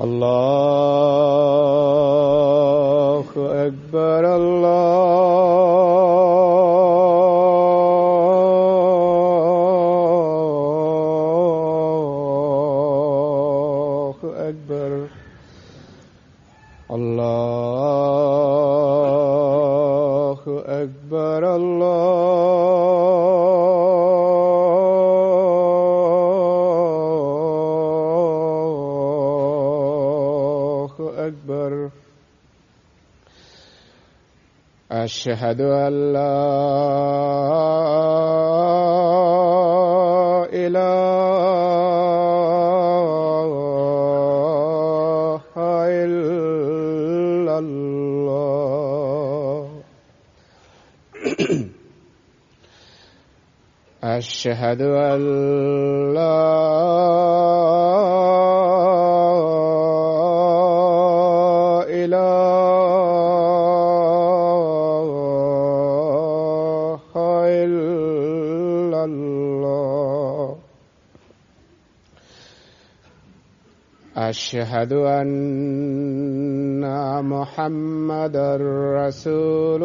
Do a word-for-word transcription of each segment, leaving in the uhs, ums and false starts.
الله أكبر الله أكبر الله أكبر الله أكبر أشهد أن لا إله إلا الله أشهد أن لا إله إلا الله أشهد أن محمدا رسول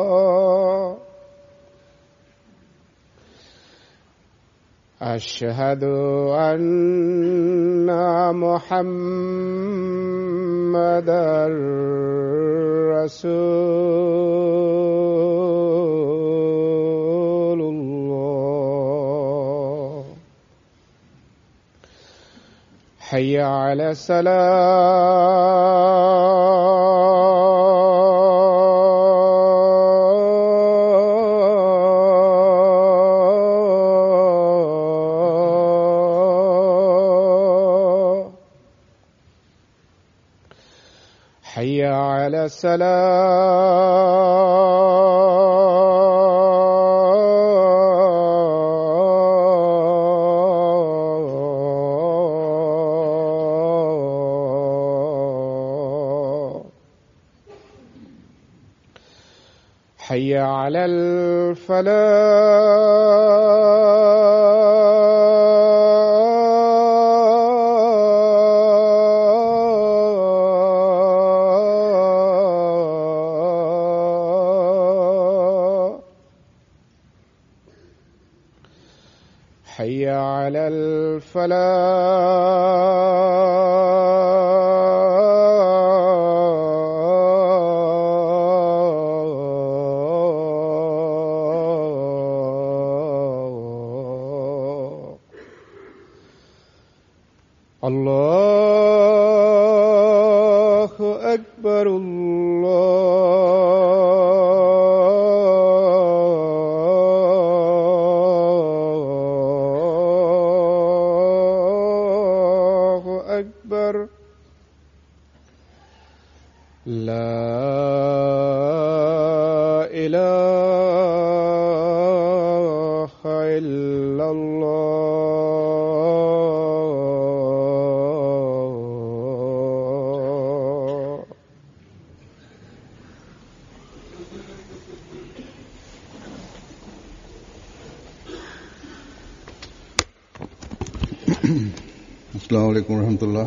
الله أشهد أن محمدا رسول الله حي على السلام حي على السلام حي على الفلاح حي على الفلاح الله أكبر الله أكبر لا إله إلا الله السلام علیکم ورحمۃ اللہ۔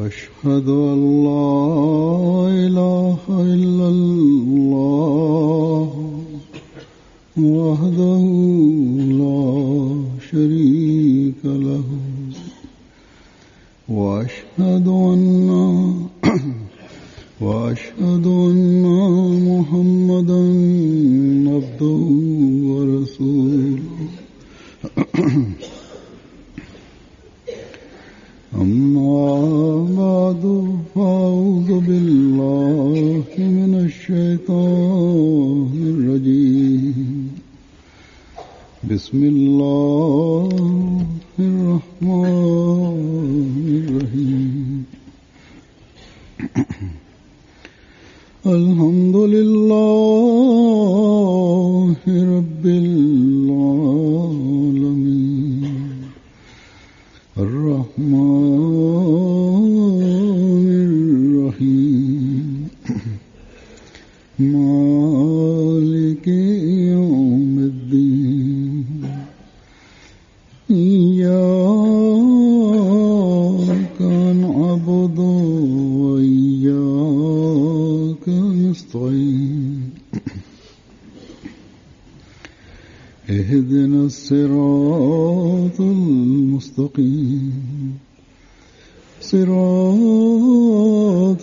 أشهد أن لا إله إلا الله وحده لا شريك له وأشهد أن وأشهد أن محمدا عبده ورسوله أما بعد فأعوذ بالله من الشيطان الرجيم بسم الله الرحمن الرحيم الحمد لله رب العالمين اهدنا الصراط المستقيم صراط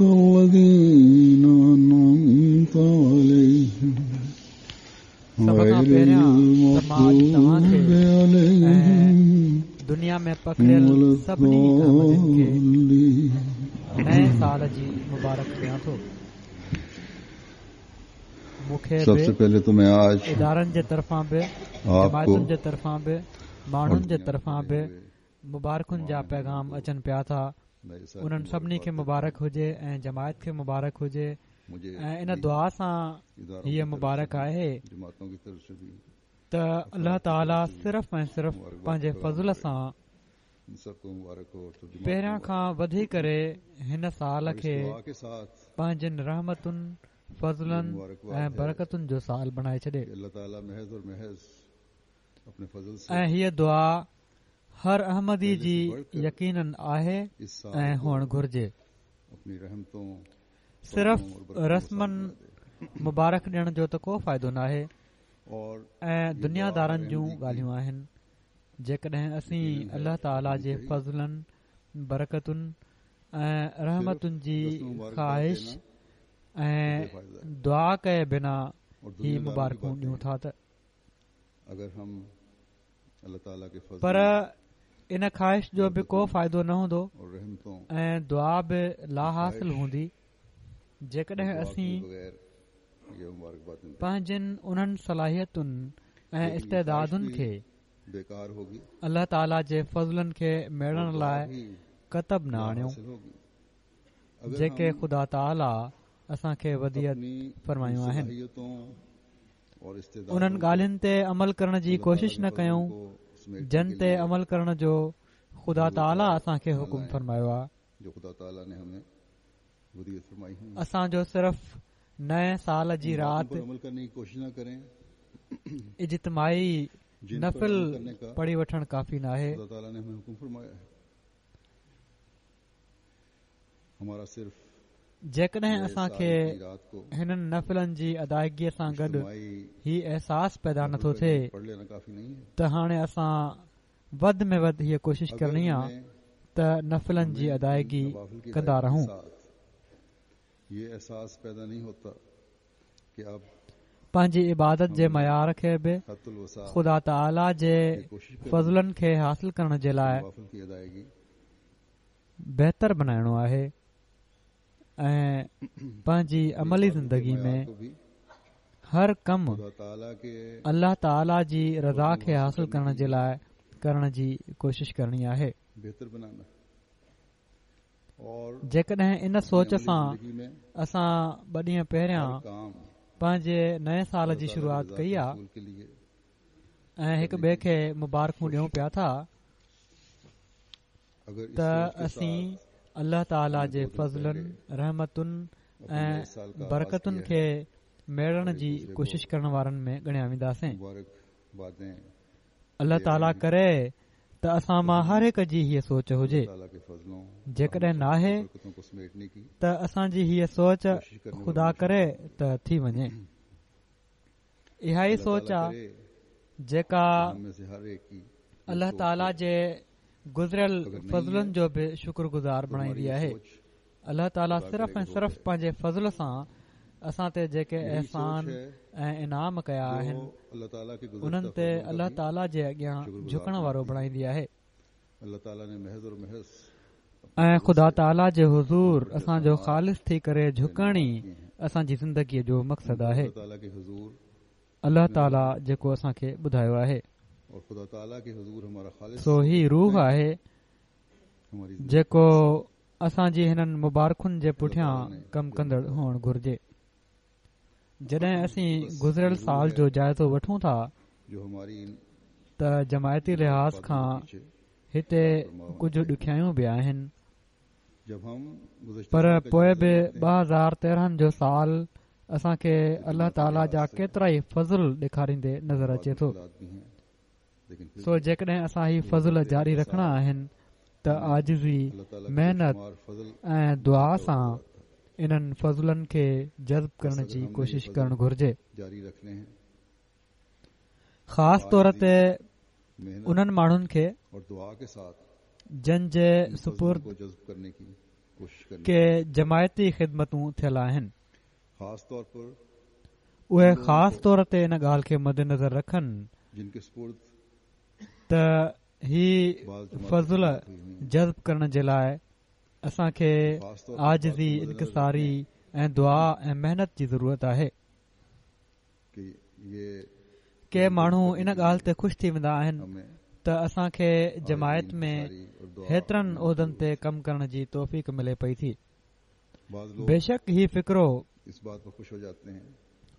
الذين أنعمت عليهم سڀ کان پهريان ته مان اڄ توهان کي ۽ دنيا ۾ پکڙيل سڀني احمدين کي نئين سال جي مبارڪ ڏيان ٿو. مون کي سب سے پهلي تو مين آج ادارن جي طرفان به، جماعتن جي طرفان به، ماڻهن جي طرفان به مبارڪن جا پيغام اچن پيا ٿا. انهن سڀني کي مبارڪ هجي ۽ جماعت کي مبارڪ هجي. ۽ ان دعا سان هيءَ مبارڪ آهي ته الله تعاليٰ صرف ۽ صرف پنهنجي فضل سان پهريان کان وڌي ڪري هن سال کي پنهنجن رحمتن، فضلن ۽ برڪتن جو سال بڻائي ڇڏي. ۽ هيءَ دعا هر احمدي جي يقينن آهي ۽ هئڻ گهرجي. صرف رسمن مبارڪ ڏيڻ جو ته ڪو فائدو ناهي ۽ دنيادارن جون ڳالهيون آهن. جيڪڏهن اسين الله تعاليٰ جي فضلن، برڪتن ۽ رحمتن جي خواهش ۽ دعا ڪئي بنا هي مبارڪون ڏيون ٿا ته پر ان خواهش جو به ڪو فائدو نه هوندو ۽ دعا به لاحاصل هوندي جيڪڏهن اسين پنهنجن انهن صلاحيتن ۽ استعدادن کي الله تعاليٰ جي فضلن کي ميڙڻ لاءِ ڪتب نه آڻيون جيڪي خدا تعاليٰ اسان کي وديعت فرمايون آهن. انهن ڳالهين تي عمل ڪرڻ جي ڪوشش نه ڪيون جن تي عمل ڪرڻ جو خدا تعاليٰ اسان کي حڪم فرمايو آهي. اسان جو صرف نئين سال جي رات اجتماعي نفل پڙهي وٺڻ ڪافي ناهي. جيڪڏهن اسان کي هنن نفلن جي ادائگيءَ سان گڏ هي احساس پيدا نٿو ٿئي ته هاڻي اسان وڌ ۾ وڌ هيءَ ڪوشش ڪرڻي آهي ته نفلن جي ادائگي ڪندا رهون. پنهنجي عبادت جي معيار کي به خدا تعاليٰ جي فضلن کي حاصل ڪرڻ جي لاءِ بهتر بڻائڻو آهي ۽ پنهنجي عملي زندگي ۾ هر ڪم الله تعاليٰ جي رضا کي حاصل ڪرڻ جي لاءِ ڪرڻ جي ڪوشش ڪرڻي آهي. جيڪڏهن ان سوچ سان اسان ٻه ڏينهن پهريان پنهنجي نئين سال جي شروعات ڪئي آهي ۽ هڪ ٻئي کي مبارڪون ڏيون پيا ٿا ته اسين الله تعاليٰ جي فضلن، رحمتن ۽ برڪتن کي ميڙڻ جي ڪوشش ڪرڻ وارن ۾ ڳڻيا وينداسين. الله تعاليٰ ڪري ته اسان مان هر هڪ جي هيءَ سوچ هجي. جيڪڏهن ناهي ته اسان جي هيءَ سوچ خدا ڪري ته ٿي وڃي. اها ئي سوچ آهي جيڪا الله تعاليٰ جي گذريل فضلن جو به شڪر گذار بڻائيندي آهي. الله تعاليٰ صرف ۽ صرف پنهنجي فضل سان اسان تي جيڪي احسان ۽ انعام ڪيا آهن انهن تي الله تعاليٰ جي اڳيان جهڪڻ وارو بڻائيندي آهي ۽ خدا تعاليٰ جي حضور اسان جو خالص ٿي ڪري جهڪڻ ئي اسان جي زندگيءَ جو مقصد آهي. الله تعاليٰ جيڪو اسان کي ٻڌايو آهي سو هي روح آهي جيڪو اسان جي هنن مبارڪن جي پٺيان ڪم ڪندڙ هئڻ گهرجي. جڏهن اسين گذريل سال جو جائزو وٺون ٿا ته جماعتي لحاظ کان هتي ڪجهه ڏکيائيون به آهن، پر پوءِ به ٻه هزار تيرهن جو سال اسان کي الله تعاليٰ جا ڪيترا ئي فضل ڏيکاريندي نظر اچي ٿو. سو جيڪڏهن اسان هي فضل جاري رکڻا آهن ته عاجزي، محنت ۽ دعا سان انهن فضلن کي جذب ڪرڻ جي ڪوشش ڪرڻ گهرجي. خاص طور تي انهن ماڻهن کي جن جي سپرد ڪي جماعتي خدمتون ٿيل آهن، اهي خاص طور تي ان ڳالهه کي مدنظر رکن ته هي فضل جذب ڪرڻ جي لاءِ اسان کي عاجزي، انڪساري ۽ دعا ۽ محنت جي ضرورت آهي. ڪي ماڻهو ان ڳالهه تي خوش ٿي ويندا آهن ته اسان کي جماعت ۾ هيترن عهدن تي ڪم ڪرڻ جي توفيق ملي پئي ٿي. بيشڪ هي فڪرو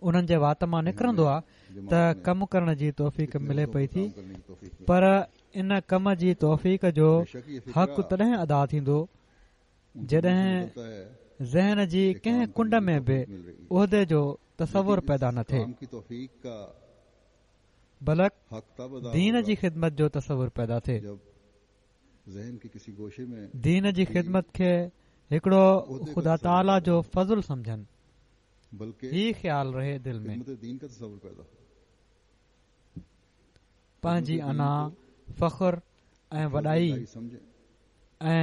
انهن جي وات مان نڪرندو آهي ته ڪم ڪرڻ جي توفيق ملي پئي ٿي، پر ان ڪم جي توفيق جو حق تڏهن ادا ٿيندو جڏهن ذهن جي ڪنهن ڪنڊ ۾ به عهدي جو تصور پيدا نه ٿئي، بلڪ دين جي خدمت جو تصور پيدا ٿئي. دين جي خدمت کي هڪڙو خدا تعاليٰ جو فضل سمجهن، هي خيال رهي دل ۾. پنهنجي انا، فخر ۽ وڏائي ۽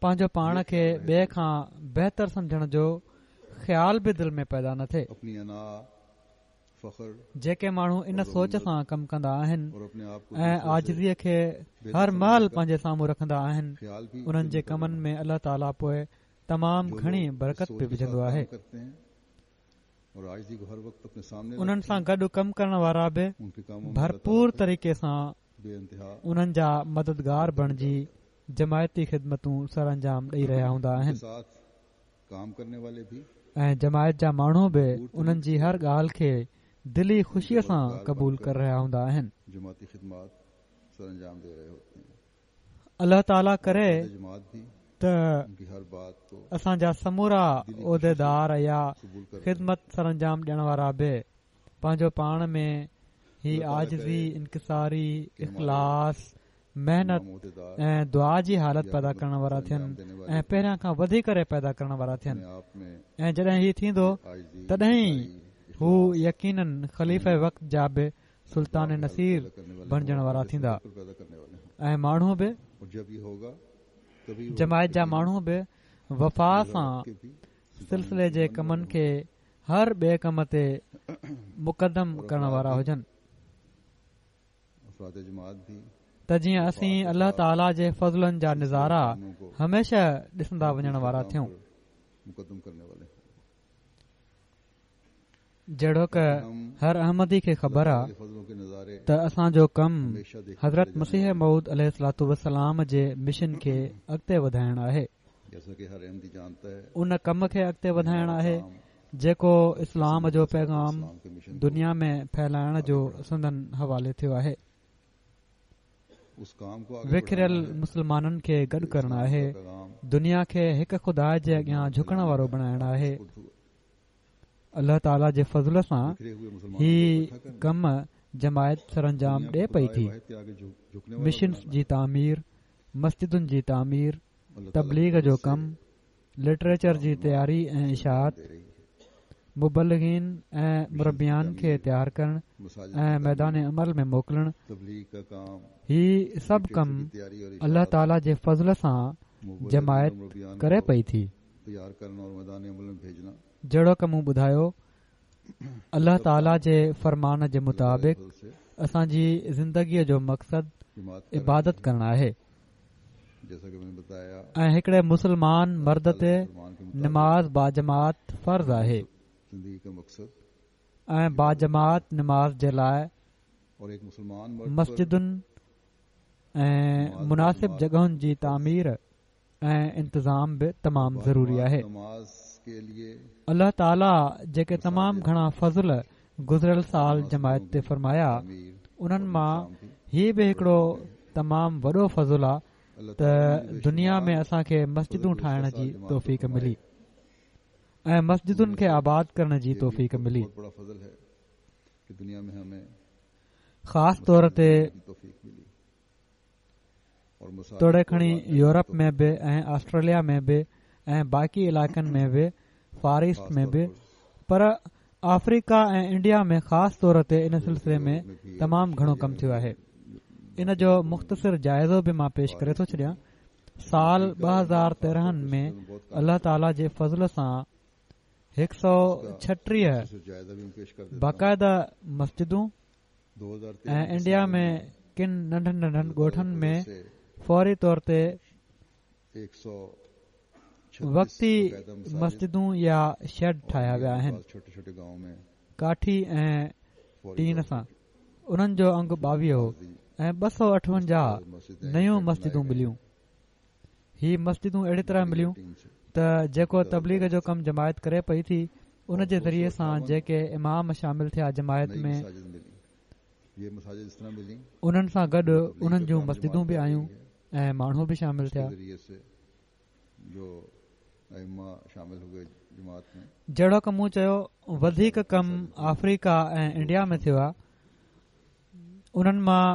پنهنجو پاڻ کي ٻئي کان بهتر سمجهڻ جو خيال به دل ۾ پيدا نه ٿئي. جيڪي ماڻهو ان سوچ سان ڪم ڪندا آهن ۽ عاجزيءَ کي هر مهل پنهنجي سامهون رکندا آهن، انهن جي ڪمن ۾ الله تعاليٰ پوءِ تمام گهڻي برڪت به وجهندو آهي. انهن سان گڏ ڪم ڪرڻ وارا به ڀرپور طريقي سان انهن جا مددگار بڻجي جماعتي خدمتون سرانجام ڏئي رهيا هوندا آهن ۽ جماعت جا ماڻهو به انهن جي هر ڳالهه کي دلي خوشيءَ سان قبول ڪري رهيا هوندا آهن. الله تعاليٰ ڪري ته اسان جا سمورا عهديدار يا خدمت سرانجام ڏيڻ وارا به پنهنجو پاڻ ۾ هي عاجزي، انڪساري، اخلاص، محنت ۽ دعا جي حالت پيدا ڪرڻ وارا ٿين ۽ پهريان کان وڌي ڪري پيدا ڪرڻ وارا ٿين. ۽ جڏهن هي ٿيندو تڏهن ئي هو يقيناً خليفه وقت جا به سلطان نصير بڻجڻ وارا ٿيندا ۽ ماڻهو به جماعت جا ماڻهو به وفا سان سلسلي جي ڪمن کي هر ٻئي ڪم تي مقدم ڪرڻ وارا هجن ته جيئن اسين الله تعاليٰ جي فضلن جا نظارا هميشه ڏسندا وڃڻ وارا ٿيون. جهڙوڪ هر احمدي کي خبر آ ته اسان جو ڪم حضرت مسيح موعود عليه الصلوة والسلام جي مشن کي اڳتي وڌائڻ آهي، ان ڪم کي اڳتي وڌائڻ آهي جيڪو اسلام جو پيغام دنيا ۾ ڦهلائڻ جو سندن حوالي ٿيو آهي. وکريل مسلمانن کي گڏ ڪرڻ آهي، دنيا کي هڪ خدا جي اڳيان جهڪڻ وارو بڻائڻ آهي. الله تعاليٰ جي فضل سان هي ڪم جماعت سرانجام ڏي پئي ٿي. مشنس جي تعمير، مسجدن جي تعمير، تبليغ جو ڪم، لٽريچر جي تياري ۽ اشاعت، مبلغين ۽ مربيان کي تيار ڪرڻ ۽ ميدان عمل ۾ موڪلڻ، هي سڀ ڪم الله تعاليٰ جي فضل سان جماعت ڪري پئي ٿي. جهڙوڪ مون ٻڌايو، الله تعاليٰ جي فرمان جي مطابق اسان جي زندگيءَ جو مقصد عبادت ڪرڻ آهي ۽ هڪڙي مسلمان مرد تي نماز باجماعت فرض آهي ۽ باجماعت نماز جي لاءِ مسجدن ۽ مناسب جڳهن جي تعمير ۽ انتظام به تمام ضروري آهي. الله تعاليٰ جيڪي تمام گهڻا فضل گذريل سال جماعت تي فرمايا، انهن مان هي به هڪڙو تمام وڏو فضل آ ته دنيا ۾ اسان کي مسجدون ٺاهڻ جي توفيق ملي ۽ مسجدن کي آباد ڪرڻ جي توفيق ملي. خاص طور تي توڙي کڻي يورپ ۾ به ۽ آسٽريليا ۾ به ۽ باقي علائقن ۾ به، فار ايسٽ ۾ به، پر آفريڪا ۽ انڊيا ۾ خاص طور تي ان سلسلي ۾ تمام گهڻو ڪم ٿيو آهي. ان جو مختصر جائزو به مان پيش ڪري ٿو ڇڏيان. سال ٻه هزار تيرهن ۾ الله تعاليٰ جي فضل سان هڪ سؤ ڇٽيهه باقاعده مسجدون ۽ انڊيا ۾ ڪن ننڍن ننڍن ڳوٺن ۾ فوري طور تي وقتي مسجدون يا شيڊ ٺاهيا ويا آهن ڪاٺي ۽ ٽين سان. انهن جو انگ ٻاويهه هو ۽ ٻه سؤ اٺونجاهه نيون مسجدون مليون. هي مسجدون اهڙي طرح مليون ته جيڪو تبليغ جو ڪم جماعت ڪري پئي ٿي ان جي ذريعي سان جيڪي امام شامل ٿيا جماعت ۾ انهن سان گڏ انهن جون مسجدون به آيون ۽ ماڻهو به شامل ٿيا. جهڙوڪ مون چيو وڌيڪ ڪم آفريڪا ۽ انڊيا ۾ ٿيو آهي. انهن مان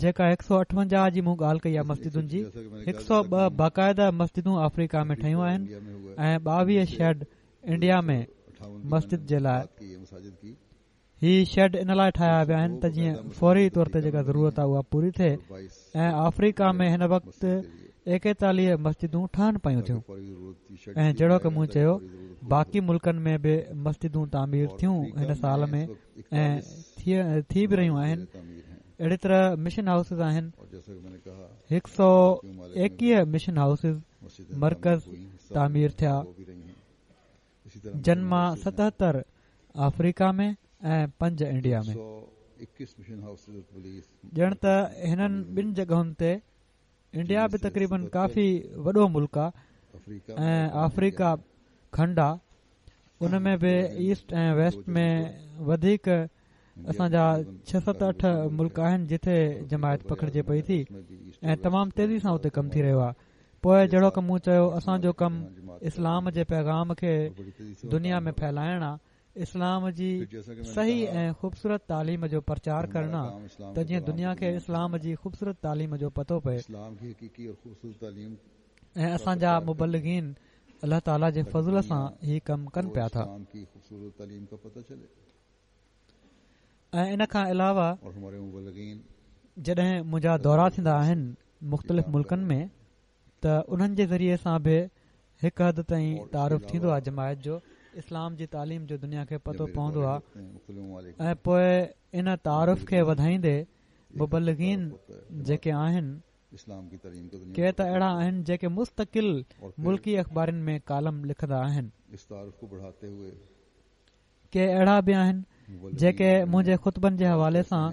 جيڪا هڪ سؤ اٺونجاهه جي مون ڳالهه ڪئي آهي مسجدن جي، هڪ سؤ ٻه باقاعده مسجدون آفريڪا ۾ ٺهيون آهن ۽ ٻاويهه شيڊ انڊيا ۾ مسجد جي لاءِ. هي شيڊ ان لاءِ ٺاهيا ويا آهن ته جيئن فوري طور تي جيڪا ضرورت آهي اها پوري ٿئي. ۽ آفريڪا ۾ هن وقت ايڪيتاليهه مسجدون ٺهن پيون ٿيون ۽ جهڙوڪ مون چيو باقي ملڪن ۾ به مسجدون تعمير ٿيون هن سال ۾ ۽ ٿي به رهيون آهن. اهڙي طرح مشن هائوسز آهن. هڪ سؤ ايڪويهه مشن هائوسز مرڪز تعمير ٿيا جن مان ستهتر آفريڪا ۾ ۽ پنج انڊيا ۾. ڄڻ ته هنن ٻن جڳهن تي انڊيا به تقريبن ڪافي وڏو ملڪ آهي ۽ آفريڪا کنڊ آهي، ان ۾ به ايسٽ ۽ ويسٽ ۾ وڌيڪ اسان جا ڇهه ست اٺ ملڪ آهن جتي جماعت پکڙجي پئي ٿي ۽ تمام تيزي سان اتي ڪم ٿي رهيو آهي. پوءِ جهڙوڪ مون چيو اسان جو ڪم اسلام جي پيغام کي دنيا ۾ ڦهلائڻ آهي، اسلام جي صحيح ۽ خوبصورت تعليم جو پرچار ڪرڻ آهي ته جيئن دنيا کي اسلام جي خوبصورت تعليم جو پتو پئي. ۽ اسان جا مبلغين الله تعاليٰ جي فضل سان هي ڪم ڪن پيا ٿا. ۽ ان کان علاوه جڏهن منهنجا دورا ٿيندا آهن مختلف ملڪن ۾ ته انهن جي ذريعي سان به هڪ حد تائين تعارف ٿيندو آهي جماعت جو، اسلام جي تعليم جو دنيا کي پتو پوندو آهي. ۽ پوءِ ان تعارف کي وڌائيندي مبلغين جيڪي آهن ڪي ته اهڙا آهن جيڪي مستقل ملڪي اخبارن ۾ ڪالم لکندا آهن، ڪي اهڙا به آهن جيڪي منهنجي خطبن جي حوالي سان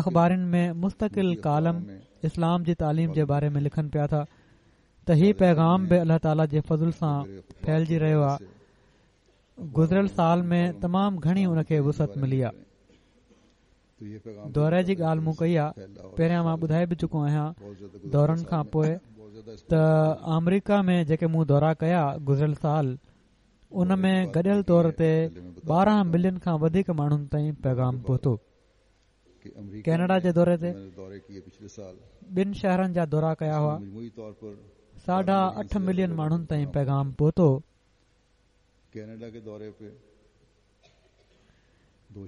اخبارن ۾ مستقل ڪالم اسلام جي تعليم جي باري ۾ لکن پيا ٿا. ته هي پيغام به الله تعاليٰ جي فضل سان ڦهلجي رهيو آهي. گذريل سال ۾ تمام گهڻي ان کي وسعت ملي آهي. دوري جي ڳالهه مون ڪئي آهي، پهريان مان ٻڌائي به چڪو آهيان دورن کان پوءِ ته آمريڪا ۾ جيڪي مون دورا ڪيا گذريل سال ان ۾ گڏيل طور تي ٻارهن ملين کان وڌيڪ ماڻهن تائين پيغام پهتو. ڪينيڊا جي دوري تي ٻن شهرن جا دورا ڪيا هئا، ساڍا اٺ ملين ماڻهن تائين پيغام پهتو.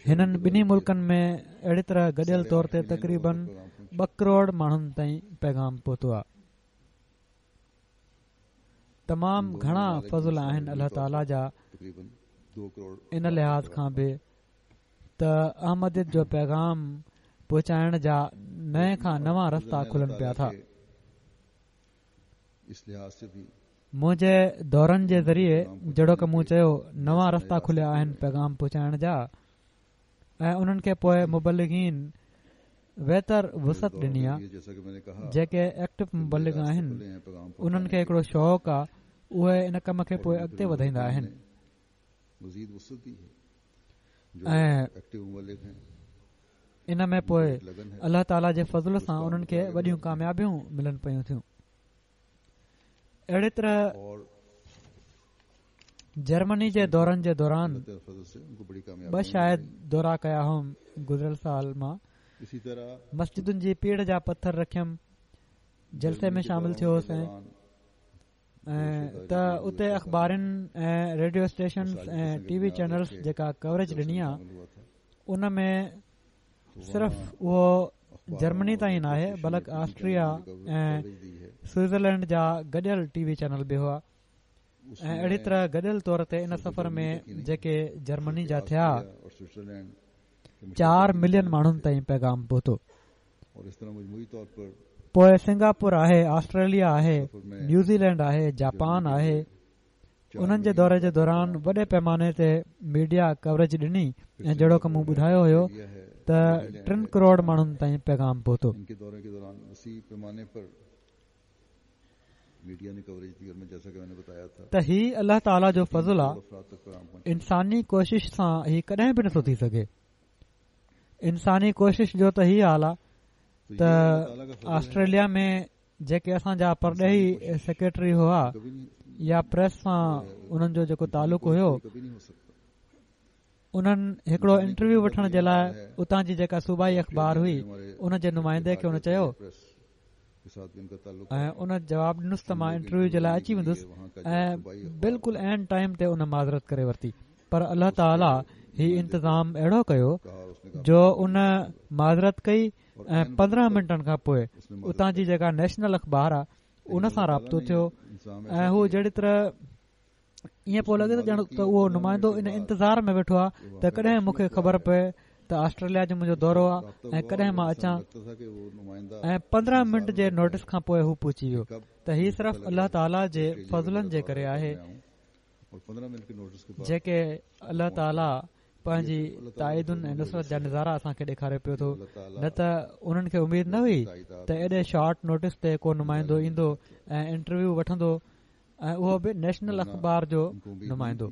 هنن ٻنهي ملڪن ۾ اهڙي طرح گڏيل طور تي تقريبن ٻه ڪروڙ ماڻهن تائين پيغام پهتو آهي. تمام گهڻا فضل آهن الله تعاليٰ جا ان لحاظ کان به ته احمديت جو پيغام پهچائڻ جا نئين کان نوان رستا کلن پيا ٿا. منهنجي دورن جي ذريعي جهڙوڪ مون چيو نوان رستا کليا آهن پيغام پهچائڻ جا ۽ انهن کي پوءِ مبلغين ويتر وسعت ڏني آهي. جيڪي ايڪٽو مبلغ آهن انهن کي هڪڙو شوق آهي، اهي ان ڪم کي پوءِ اڳتي وڌائيندا آهن ۽ ان ۾ پوءِ الله تعاليٰ جي فضل سان انهن کي وڏيون ڪاميابيون ملن پيون ٿيون. اهڙي طرح جرمني جي دورن جي دوران ٻه شايد دورا ڪيا هئم گذريل سال مان، مسجدن جي پيڙهه جا پٿر رکيم، جلسي ۾ شامل ٿيو هوس. ۽ ته اتي اخبارن ۽ radio stations ۽ T V channels جيڪا ڪوريج ڏني آهي ان ۾ صرف اهو جرمني تائين ناهي بلڪ آسٽريا ۽ سوئٽزرلينڊ جا گڏيل ٽي وي چينل به هئا ۽ اهڙي طرح گڏيل طور تي ان سفر ۾ جيڪي جرمني جا ٿيا چار ملين ماڻهن تائين پيغام پهتو. پوءِ سنگاپور آهي، آسٽريليا آهي، نيوزيلينڊ آهي، جاپان آهي. انهن جي دوري جي دوران وڏي پيماني تي ميڊيا ڪوريج ڏني ۽ جهڙوڪ مون ٻڌايو هيو ته ٽن ڪروڙ ماڻهن تائين پيغام پهتو. ته هي الله تعاليٰ جو فضل آ، انساني ڪوشش سان هي ڪڏهن به نٿو ٿي سگهي. انساني ڪوشش جو ته هي حال آ ته آسٽريليا ۾ جيڪي اسان جا پرڏيهي سيڪريٽري هئا يا پريس سان انهن جو جيڪو تعلق هيو، انهن هڪڙو انٽرويو وٺڻ جي لاءِ اتان جي جيڪا صوبائي اخبار هئي ان جي نمائندي کي ان چيو ۽ ان جواب ڏنس ته مان انٽرويو جي لاءِ اچي ويندس ۽ بلڪل عين ٽائيم تي ان معذرت ڪري ورتي. پر الله تعاليٰ هي انتظام اهڙو ڪيو جو ان معذرت ڪئي ۽ پندرهن منٽن کان پوءِ اتان جي جيڪا نيشنل اخبار آهي ان سان رابطو ٿيو ۽ هو جهڙي طرح ائين پيو لڳي ته ڄڻ ته اهو نمائندو ان انتظار ۾ ويٺو آهي ته ڪڏهن مون کي خبر پئي ته آسٽريليا جو منهنجو دورو آهي ۽ ڪڏهن مان اچان، ۽ پندرهن منٽ جي نوٽيس کان پوءِ هو پهچي ويو. ته هي صرف الله تعاليٰ جي فضلن جي ڪري آهي جيڪي الله تعاليٰ پنهنجي تائيدن ۽ نصرت جا نظارا اسان کي ڏيکاري پيو ٿو. نه ته انهن کي اميد نه هئي ته ايڏي شارٽ نوٽيس تي ڪو نمائندو ايندو ۽ انٽرويو وٺندو ۽ اهو به نيشنل اخبار جو نمائندو.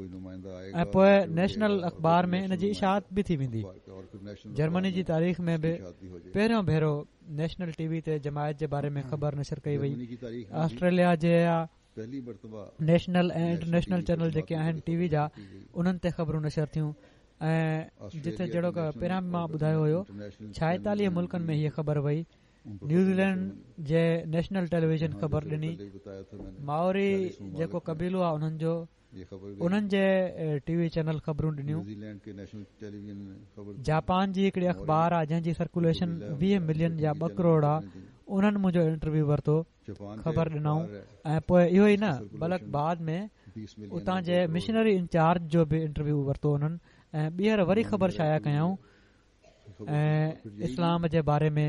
۽ پوءِ نيشنل اخبار ۾ ان جي اشاعت به ٿي ويندي. جرمني جي تاريخ ۾ به پهريون ڀيرو نيشنل ٽي وي تي جماعت جي باري ۾ خبر نشر ڪئي وئي. آسٽريليا جي نيشنل ۽ انٽرنيشنل چينل جيڪي آهن ٽي وي جا انهن تي خبرون نشر ٿيون ۽ جتي جهڙوڪ پهريان به مان ٻڌايو هيو ڇائيتاليهه ملڪن ۾ هيءَ خبر وئي. نيوزيلينڊ جي نيشنل ٽيليويزن خبر ڏني. مائوري جيڪو قبيلو آهي انهن جو انهن جي ٽي وي چينل خبرون ڏنيون. جاپان جي هڪڙي اخبار آهي جنهن جي سرڪوليشن ويهه ملين يا ٻه ڪروڙ آهي، انهن منهنجو انٽرويو ورتو، خبر ڏنائون. ۽ پوءِ اهو ئي نه بلڪ بعد ۾ اتان جي مشنري انچارج جو به انٽرويو ورتو انهن ۽ ٻيهر وري خبر شايع ڪيائون ۽ اسلام جي باري ۾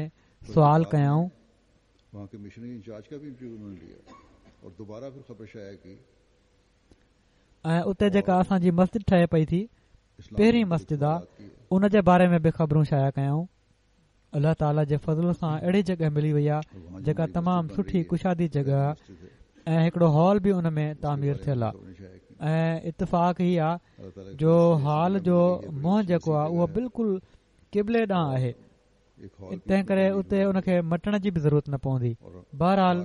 سوال ڪيائون. ۽ اتي جيڪا اسان جي مسجد ٺهي پئي ٿي پهرين مسجد آهي ان جي باري ۾ به خبرون شايع ڪيائون. الله تعاليٰ جي فضل سان اهڙي جڳهه ملي وئي آهي جيڪا تمام سٺي ڪشادي جڳهه آهي ۽ هڪڙو هال به ان ۾ تعمير ٿيل آهي. ۽ اتفاق هي آهي جو هال جو منهن جيڪو آهي اهو بلڪل قبلي ڏانهن آهي، تنهن ڪري اتي ان کي مٽڻ جي به ضرورت نه پوندي. بهرحال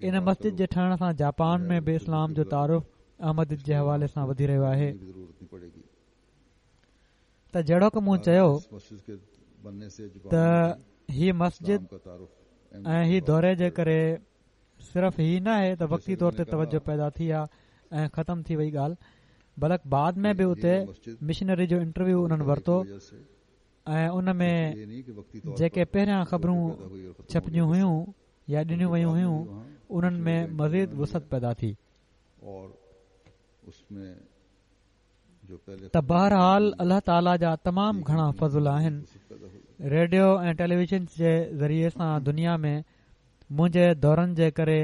ان مسجد جي ٺهڻ سان جاپان ۾ به اسلام جو تعارف احمديت جي حوالي سان وڌي رهيو آهي. ته جهڙوڪ مون چيو ته هي مسجد ۽ هي دوري جي ڪري صرف هي نه آهي ته وقتي طور تي توجه پيدا ٿي آهي ۽ ختم ٿي وئي ڳالهه، بلڪ بعد ۾ به اتي مشنري جو انٽرويو انهن ورتو ۽ ان ۾ جيڪي پهريان خبرون ڇپجيون هيون يا ڏنيون ويون هيون انهن ۾ مزيد وسعت پيدا ٿي. ته بهرحال الله تعاليٰ جا تمام گهڻا فضل آهن. ريڊيو ۽ ٽيليويزن جي ذريعي سان دنيا ۾ منهنجي دورن جي ڪري